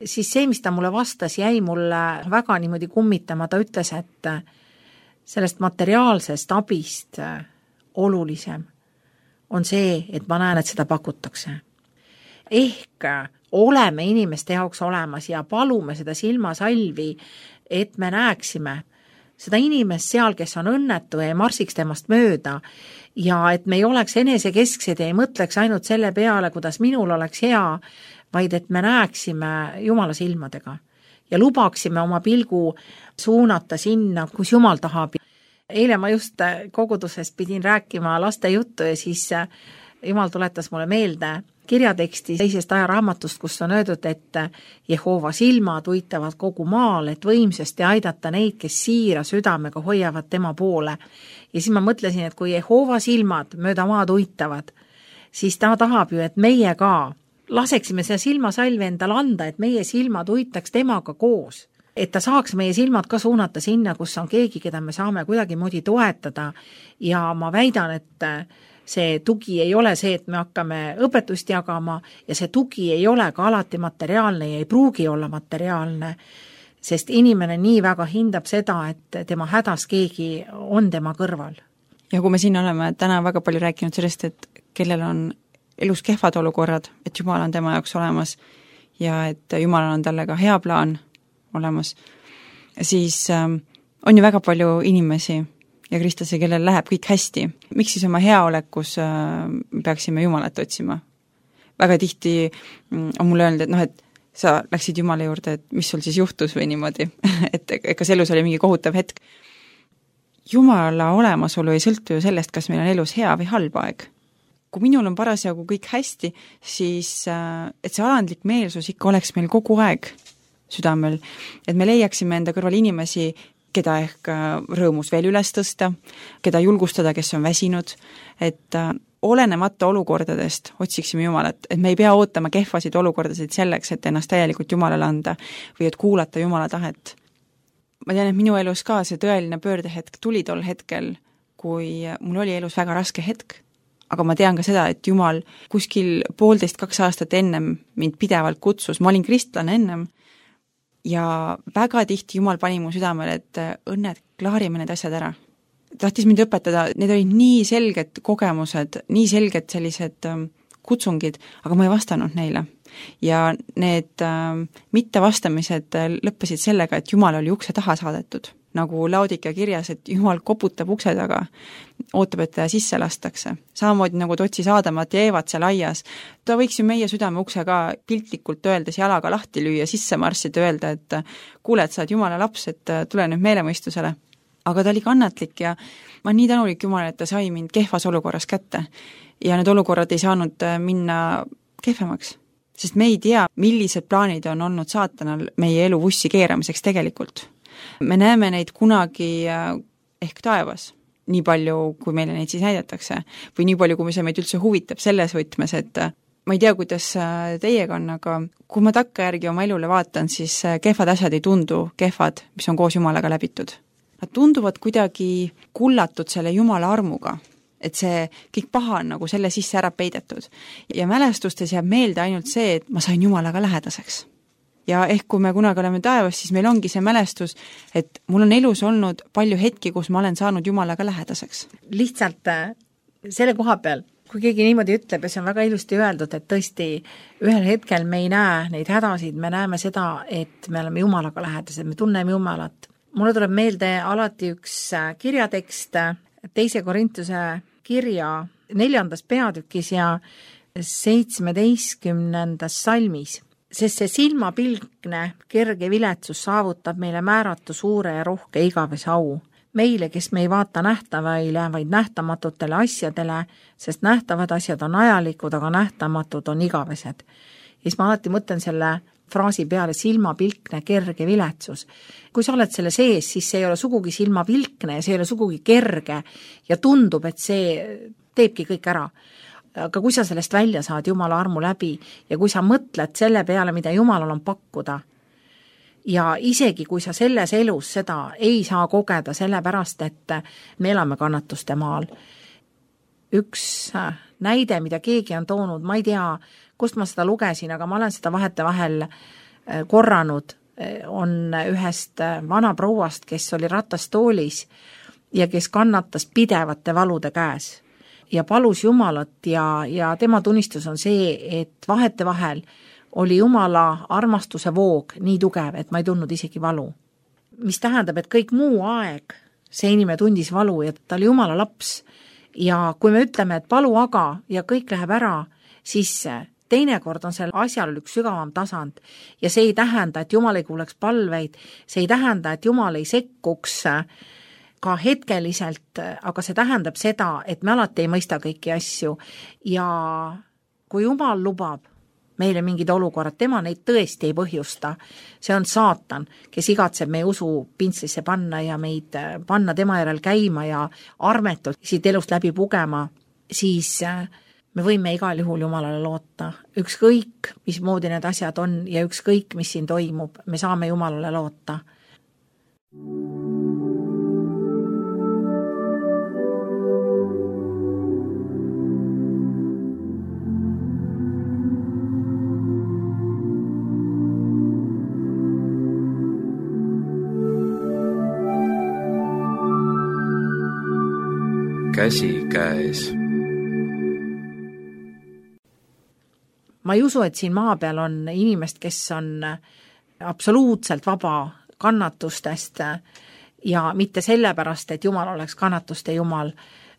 siis see, mis ta mulle vastas, jäi mulle väga niimoodi kummitama, ta ütles, et sellest materiaalsest abist olulisem on see, et ma näen, et seda pakutakse. Ehk oleme inimeste jaoks olemas ja palume seda silmasalvi, et me näeksime seda inimest seal, kes on õnnetu ja ei marsiks temast mööda ja et me ei oleks enesekesksed ja ei mõtleks ainult selle peale, kuidas minul oleks hea, vaid et me näeksime Jumala silmadega ja lubaksime oma pilgu suunata sinna, kus Jumal tahab. Eile ma just kogudusest pidin rääkima laste juttu ja siis Jumal tuletas mulle meelde kirjateksti teisest ajaraamatust, kus on öeldud, et Jehova silmad uitavad kogu maal, et võimsasti aidata neid, kes siira südamega hoiavad tema poole. Ja siis ma mõtlesin, et kui Jehova silmad mööda maad uitavad, siis ta tahab ju, et meie ka laseksime seda silmasalvi endale anda, et meie silmad uitaks temaga koos. Et ta saaks meie silmad ka suunata sinna, kus on keegi, keda me saame kuidagi moodi toetada ja ma väidan, et see tugi ei ole see, et me hakkame õpetust jagama ja see tugi ei ole ka alati materiaalne ja ei pruugi olla materiaalne, sest inimene nii väga hindab seda, et tema hädas keegi on tema kõrval. Ja kui me siin oleme täna väga palju rääkinud sellest, et kellel on elus kehvad olukorrad, et Jumal on tema jaoks olemas ja et Jumalal on talle ka hea plaan olemas, siis on ju väga palju inimesi ja kristlasi, kellel läheb kõik hästi. Miks siis oma heaolekus peaksime Jumalat otsima? Väga tihti on mulle öelnud, et sa läksid Jumala juurde, et mis sul siis juhtus või niimoodi, et kas elus oli mingi kohutav hetk. Jumala olemasolu ei sõltu ju sellest, kas meil on elus hea või halb aeg. Kui minul on parasjagu kõik hästi, siis et see alandlik meelsus ikka oleks meil kogu aeg südamel, et me leiaksime enda kõrval inimesi, keda ehk rõõmus veel üles tõsta, keda julgustada, kes on väsinud, et olenemata olukordadest otsiksime Jumalat, et me ei pea ootama kehvasid olukordasid selleks, et ennast täielikult Jumalale anda või et kuulata Jumala tahet. Ma tean, et minu elus ka see tõeline pöördehetk tuli tol hetkel, kui mul oli elus väga raske hetk, aga ma tean ka seda, et Jumal kuskil 1,5–2 aastat ennem mind pidevalt kutsus, ma olin kristlane ennem, ja väga tihti Jumal pani mu südamele, et õnned, klaarime need asjad ära. Tahtis mind õpetada, need olid nii selged kogemused, nii selged sellised kutsungid, aga ma ei vastanud neile. Ja need mittevastamised lõppesid sellega, et Jumal oli ukse taha saadetud. Nagu Laodika kirjas, et Jumal koputab ukse taga, ootab, et ta sisse lastakse. Samamoodi nagu ta otsis Aadamat ja Eevat seal aias. Ta võiks ju meie südame ukse ka piltlikult öeldes jalaga lahti lüüa, sisse marssida, öelda, et kuule, et sa oled Jumala laps, et tule nüüd meelemõistusele. Aga ta oli kannatlik ja ma olen nii tänulik Jumala, et ta sai mind kehvas olukorras kätte. Ja need olukorrad ei saanud minna kehvemaks. Sest me ei tea, millised plaanid on olnud saatanal meie elu vussi keeramiseks tegelikult. Me näeme neid kunagi ehk taevas, nii palju, kui meile neid siis näidatakse, või nii palju, kui see meid üldse huvitab selles võtmes, et ma ei tea, kuidas teiega on, aga kui ma takkajärgi oma elule vaatan, siis kehvad asjad ei tundu kehvad, mis on koos Jumalaga läbitud. Nad tunduvad kuidagi kullatud selle Jumala armuga. et see kõik paha on nagu selle sisse ära peidetud. Ja mälestustes jääb meelde ainult see, et ma sain Jumalaga lähedaseks. Ja ehk kui me kunagi oleme taevas, siis meil ongi see mälestus, et mul on elus olnud palju hetki, kus ma olen saanud Jumalaga lähedaseks. Lihtsalt selle koha peal, kui keegi niimoodi ütleb ja see on väga ilusti öeldud, et tõesti ühel hetkel me ei näe neid hädasid, me näeme seda, et me oleme Jumalaga lähedased, me tunneme Jumalat. Mulle tuleb meelde alati üks kirjatekst 2. Korintuse kirja 4. peatükis ja 17. salmis, sest see silmapilgne kerge viletsus saavutab meile määratu suure ja rohke igavese au. Meile, kes me ei vaata nähtavaile, vaid nähtamatutele asjadele, sest nähtavad asjad on ajalikud, aga nähtamatud on igavesed. Ja siis ma alati mõtlen selle fraasi peale silmapilkne kerge viletsus. Kui sa oled selle sees, siis see ei ole sugugi silmapilkne ja see ei ole sugugi kerge ja tundub, et see teebki kõik ära. Aga kui sa sellest välja saad Jumala armu läbi ja kui sa mõtled selle peale, mida Jumalal on pakkuda, ja isegi kui sa selles elus seda ei saa kogeda sellepärast, et me elame kannatuste maal. Üks näide, mida keegi on toonud, ma ei tea, kust ma seda lugesin, aga ma olen seda vahetevahel korranud, on ühest vanaprouast, kes oli ratastoolis ja kes kannatas pidevate valude käes ja palus Jumalat ja tema tunnistus on see, et vahetevahel oli Jumala armastuse voog nii tugev, et ma ei tundnud isegi valu. Mis tähendab, et kõik muu aeg see inimene tundis valu ja ta oli Jumala laps. Ja kui me ütleme, et palu aga ja kõik läheb ära, siis teinekord on seal asjal üks sügavam tasand. Ja see ei tähenda, et Jumal ei kuuleks palveid, see ei tähenda, et Jumal ei sekkuks ka hetkeliselt, aga see tähendab seda, et me alati ei mõista kõiki asju. Ja kui Jumal lubab meile mingid olukorrad, tema neid tõesti ei põhjusta. See on saatan, kes igatseb meie usu pintslisse panna ja meid panna tema järel käima ja armetult siit elust läbi pugema, siis me võime igal juhul Jumalale loota. Ükskõik, mismoodi need asjad on ja ükskõik, mis siin toimub, me saame Jumalale loota. Käsi käes. Ma ei usu, et siin maa peal on inimest, kes on absoluutselt vaba kannatustest ja mitte sellepärast, et Jumal oleks kannatuste Jumal,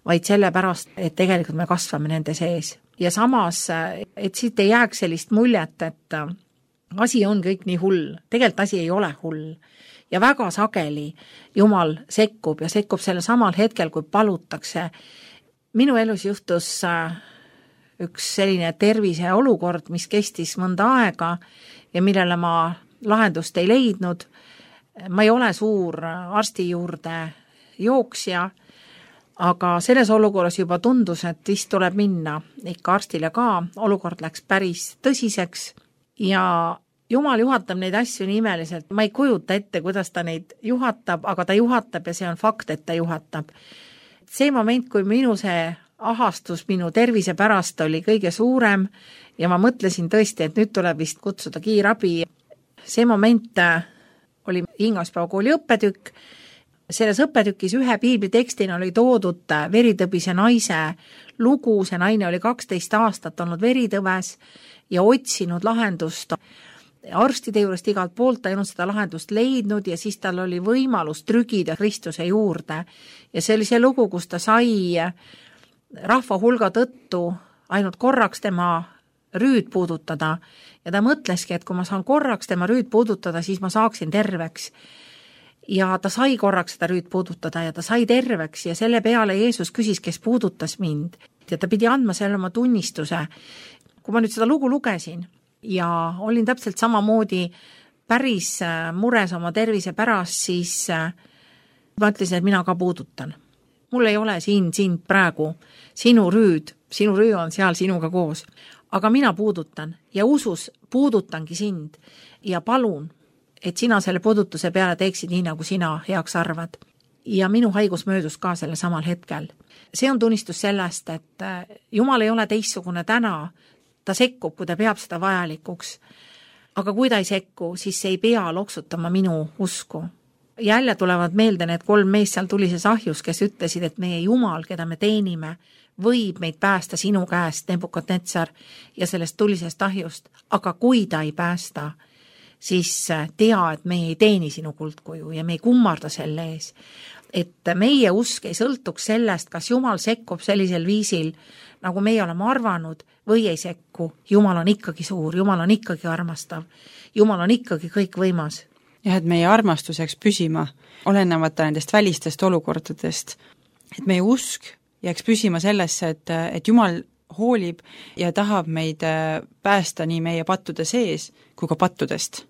vaid sellepärast, et tegelikult me kasvame nende sees. Ja samas, et siit ei jääks sellist muljet, et asi on kõik nii hull. Tegelikult asi ei ole hull. Ja väga sageli Jumal sekkub ja sekkub selle samal hetkel, kui palutakse. Minu elus juhtus üks selline tervise olukord, mis kestis mõnda aega ja millele ma lahendust ei leidnud. Ma ei ole suur arsti juurde jooksja, aga selles olukorras juba tundus, et vist tuleb minna ikka arstile ka. Olukord läks päris tõsiseks ja Jumal juhatab neid asju nii imeliselt. Ma ei kujuta ette, kuidas ta neid juhatab, aga ta juhatab ja see on fakt, et ta juhatab. See moment, kui minu see ahastus minu tervise pärast oli kõige suurem ja ma mõtlesin tõesti, et nüüd tuleb vist kutsuda kiirabi. See moment oli Ingaspäevakooli õppetükk. Selles õppetükis ühe piiblitekstina oli toodud veritõbise naise lugu. See naine oli 12 aastat olnud veritõves ja otsinud lahendust arstide juurest igalt poolt, ta ei olnud seda lahendust leidnud ja siis tal oli võimalus trügida Kristuse juurde. Ja see oli see lugu, kus ta sai rahva hulga tõttu ainult korraks tema rüüd puudutada ja ta mõtleski, et kui ma saan korraks tema rüüd puudutada, siis ma saaksin terveks. Ja ta sai korraks seda rüüd puudutada ja ta sai terveks ja selle peale Jeesus küsis, kes puudutas mind. Ja ta pidi andma selle oma tunnistuse. Kui ma nüüd seda lugu lugesin ja olin täpselt samamoodi päris mures oma tervise pärast, siis ma ütlesin, et mina ka puudutan. Mul ei ole siin sind praegu, sinu rüü on seal sinuga koos, aga mina puudutan ja usus puudutangi sind ja palun, et sina selle puudutuse peale teeksid nii, nagu sina heaks arvad. ja minu haigus möödus ka selle samal hetkel. See on tunnistus sellest, et Jumal ei ole teistsugune täna, ta sekkub, kui ta peab seda vajalikuks. Aga kui ta ei sekku, siis see ei pea loksutama minu usku. Jälle tulevad meelde need 3 meest seal tulises ahjus, kes ütlesid, et meie Jumal, keda me teenime, võib meid päästa sinu käest, Nebukadnetsar, ja sellest tulisest ahjust. Aga kui ta ei päästa, siis tea, et me ei teeni sinu kuldkuju ja me ei kummarda selle ees. Et meie usk ei sõltuks sellest, kas Jumal sekkub sellisel viisil, nagu meie oleme arvanud, või ei sekku. Jumal on ikkagi suur, Jumal on ikkagi armastav, Jumal on ikkagi kõik võimas. Jah, et meie armastus jääks püsima, olenevata nendest välistest olukordadest. Et meie usk jääks püsima sellesse, et Jumal hoolib ja tahab meid päästa nii meie pattude sees kui ka pattudest.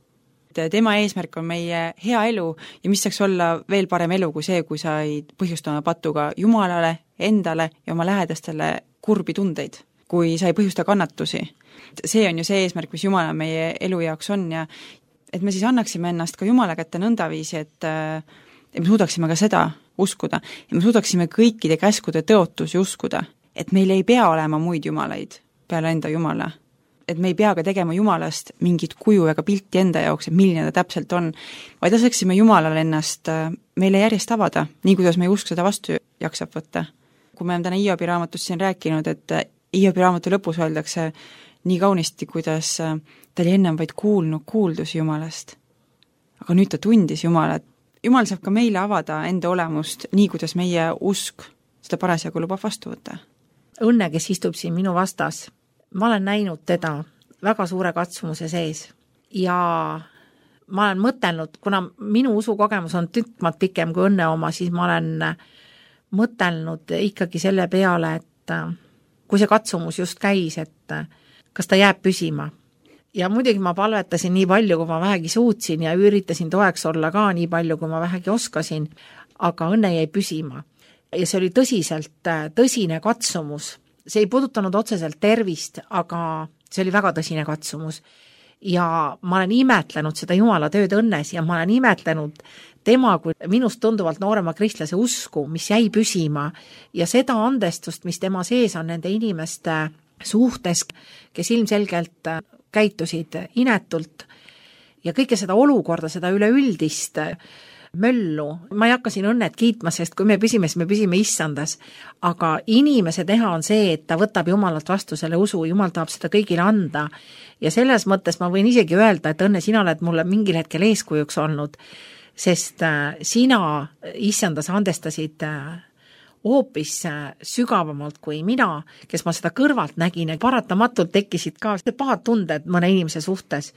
Tema eesmärk on meie hea elu ja mis saaks olla veel parem elu kui see, kui sa ei põhjusta oma patuga Jumalale, endale ja oma lähedastele kurbi tundeid, kui sa ei põhjusta kannatusi. See on ju see eesmärk, mis Jumala meie elu jaoks on ja et me siis annaksime ennast ka Jumala kätte nõndaviisi, et me suudaksime ka seda uskuda ja me suudaksime kõikide käskude tõotusi uskuda, et meil ei pea olema muid jumalaid peale enda Jumala. Et me ei pea ka tegema Jumalast mingit kuju ega pilti enda jaoks, et milline ta täpselt on, vaid laseksime Jumalale ennast meile järjest avada, nii kuidas meie usk seda vastu jaksab võtta. Kui me oleme täna Hiobi raamatus siin rääkinud, et Hiobi raamatu lõpus öeldakse nii kaunisti, kuidas ta oli ennem vaid kuulnud kuuldusi Jumalast. Aga nüüd ta tundis Jumalat. Jumal saab ka meile avada enda olemust, nii kuidas meie usk seda parasjagu lubab vastu võtta. Õnne, kes istub siin minu vastas, ma olen näinud teda väga suure katsumuse sees ja ma olen mõtelnud, kuna minu usukogemus on tükkmat pikem kui Õnne oma, siis ma olen mõtelnud ikkagi selle peale, et kui see katsumus just käis, et kas ta jääb püsima. Ja muidugi ma palvetasin nii palju, kui ma vähegi suutsin ja üritasin toeks olla ka nii palju, kui ma vähegi oskasin, aga Õnne jäi püsima. Ja see oli tõsine katsumus. See ei puudutanud otseselt tervist, aga see oli väga tõsine katsumus. Ja ma olen imetlenud seda Jumala tööd Õnnes ja ma olen imetlenud tema kui minust tunduvalt noorema kristlase usku, mis jäi püsima ja seda andestust, mis tema sees on nende inimeste suhtes, kes ilmselgelt käitusid inetult ja kõike seda olukorda, seda üleüldist möllu. Ma ei hakka siin Õnnet kiitma, sest kui me püsime, siis me püsime issandas. Aga inimese teha on see, et ta võtab Jumalalt vastu selle usu, Jumal tahab seda kõigile anda. Ja selles mõttes ma võin isegi öelda, et Õnne, sina oled mulle mingil hetkel eeskujuks olnud, sest sina issandas andestasid hoopis sügavamalt kui mina, kes ma seda kõrvalt nägin, et paratamatult tekkisid ka pahad tunded mõne inimese suhtes.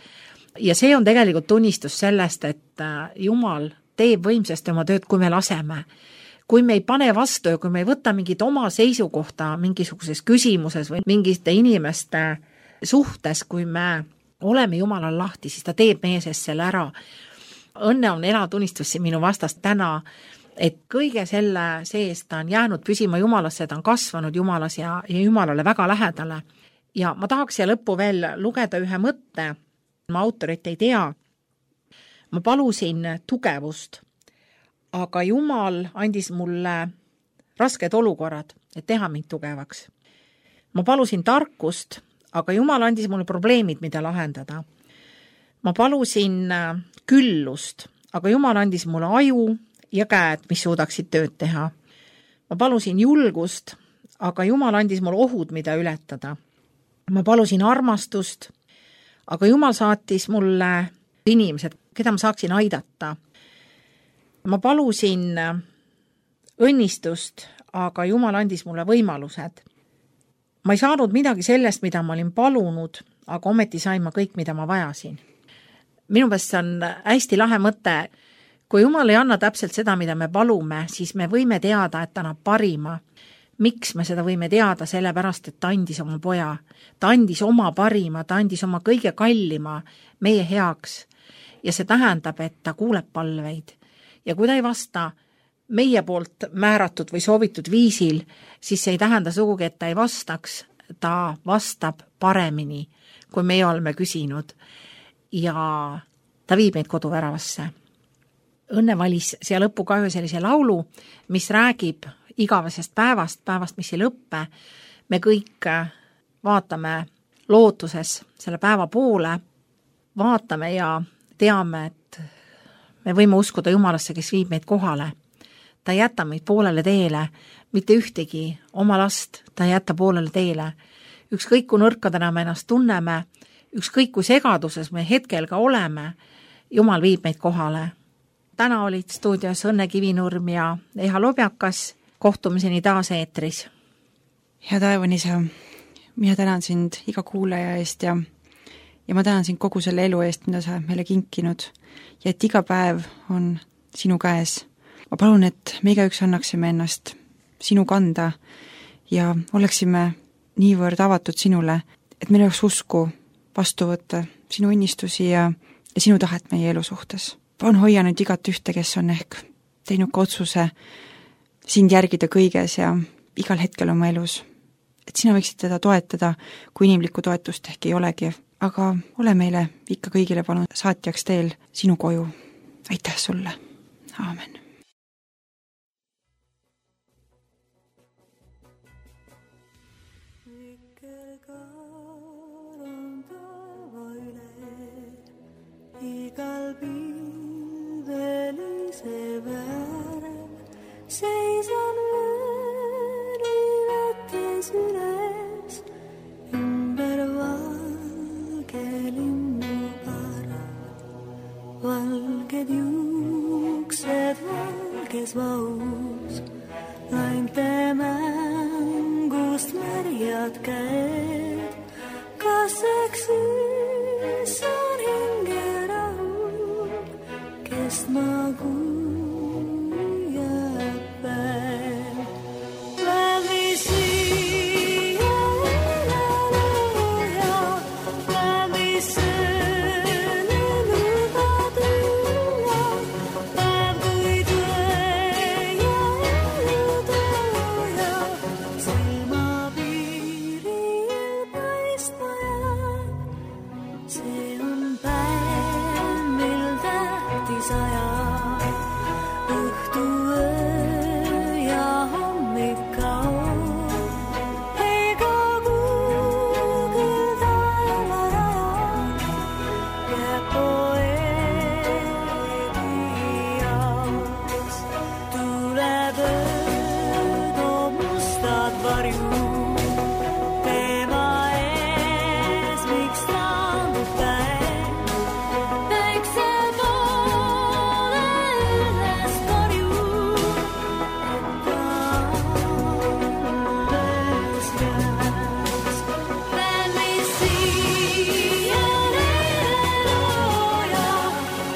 Ja see on tegelikult tunnistus sellest, et Jumal teeb võimsasti oma tööd, kui me laseme. Kui me ei pane vastu ja kui me ei võta mingit oma seisukohta mingisuguses küsimuses või mingite inimeste suhtes, kui me oleme Jumalal lahti, siis ta teeb meie sees selle ära. Õnne on elatunnistus siin minu vastast täna, et kõige selle sees ta on jäänud püsima Jumalasse, ta on kasvanud Jumalas ja Jumalale väga lähedale. Ja ma tahaks siia lõppu veel lugeda ühe mõtte, ma autorit ei tea. Ma palusin tugevust, aga Jumal andis mulle rasked olukorrad, et teha mind tugevaks. Ma palusin tarkust, aga Jumal andis mulle probleemid, mida lahendada. Ma palusin küllust, aga Jumal andis mulle aju ja käed, mis suudaksid tööd teha. Ma palusin julgust, aga Jumal andis mulle ohud, mida ületada. Ma palusin armastust, aga Jumal saatis mulle inimesed, keda ma saaksin aidata. Ma palusin õnnistust, aga Jumal andis mulle võimalused. Ma ei saanud midagi sellest, mida ma olin palunud, aga ometi sain ma kõik, mida ma vajasin. Minu meelest on hästi lahe mõte. Kui Jumal ei anna täpselt seda, mida me palume, siis me võime teada, et ta annab parima. Miks me seda võime teada? Sellepärast, et ta andis oma poja. Ta andis oma parima, ta andis oma kõige kallima meie heaks. Ja see tähendab, et ta kuuleb palveid. Ja kui ta ei vasta meie poolt määratud või soovitud viisil, siis see ei tähenda sugugi, et ta ei vastaks. Ta vastab paremini, kui meie oleme küsinud. Ja ta viib meid koduväravasse. Õnne valis siia lõppu ka ühe sellise laulu, mis räägib igavesest päevast, mis ei lõppe. Me kõik vaatame lootuses selle päeva poole, vaatame ja teame, et me võime uskuda Jumalasse, kes viib meid kohale. Ta ei jäta meid poolele teele, mitte ühtegi oma last ta ei jäta poolele teele. Ükskõik kui nõrkadena me ennast tunneme, ükskõik kui segaduses me hetkel ka oleme, Jumal viib meid kohale. Täna olid stuudios Õnne Kivinurm ja Eha Lobjakas. Kohtumiseni taas eetris. Hea taevanisa, mina tänan sind iga kuulaja eest ja ma tänan sind kogu selle elu eest, mida sa meile kinkinud ja et iga päev on sinu käes. Ma palun, et me igaüks annaksime ennast sinu kanda ja oleksime niivõrd avatud sinule, et meil oleks usku vastu võtta sinu õnnistusi ja sinu tahet meie elu suhtes. Palun hoia nüüd igat ühte, kes on ehk teinud ka otsuse sind järgida kõiges ja igal hetkel oma elus. Et sina võiksid teda toetada, kui inimlikku toetust ehk ei olegi, aga ole meile ikka kõigile palun saatjaks teel sinu koju. Aitäh sulle. Aamen. Igal pilvelise väärem seisan löönivetes üles ümber valge linnuparv. Valged juuksed valges vaus, lainte mängust märjad käed. Kas eks on hingerahul, kes ma kui jääb päev. Läbi siia elaloja, läbi selle lubad ülla, päev kui tõe ja elutooja, silmapiiril paistma jääb. See on päev, mil tähtis ajab, õhtu, öö ja hommik kaob. Ega kuugil taeva rajab, jääb poeedi jaoks. Tuleb öö, toob mustad varjud teema ees, miks taandub päev. Päikse poole üles korjub, et ta alles jääks. Päev, mis siia looja,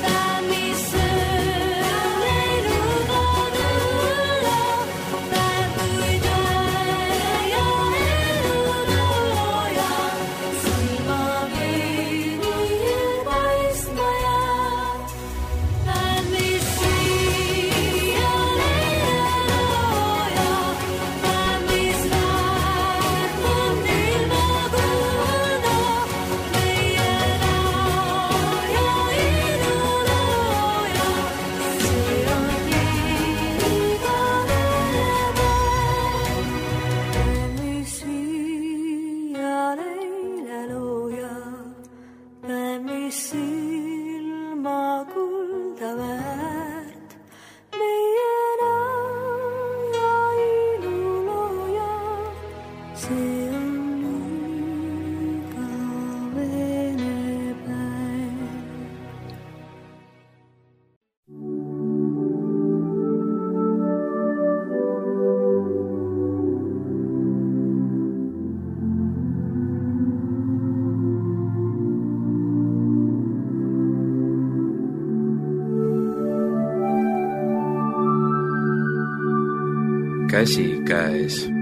päev, mis ööle ei luba tulla, päev kui tõe ja elutooja, silmapiiril paistma jääb. Päev, mis siia looja, päev, mis väärt on ilma kulda, meie laaja ilulooja, see on igavene päev. Päev, mis siia leile looja, päev, mis silma kulda väärt, meie laaja ilulooja, see on igavene päev. Käsikäes.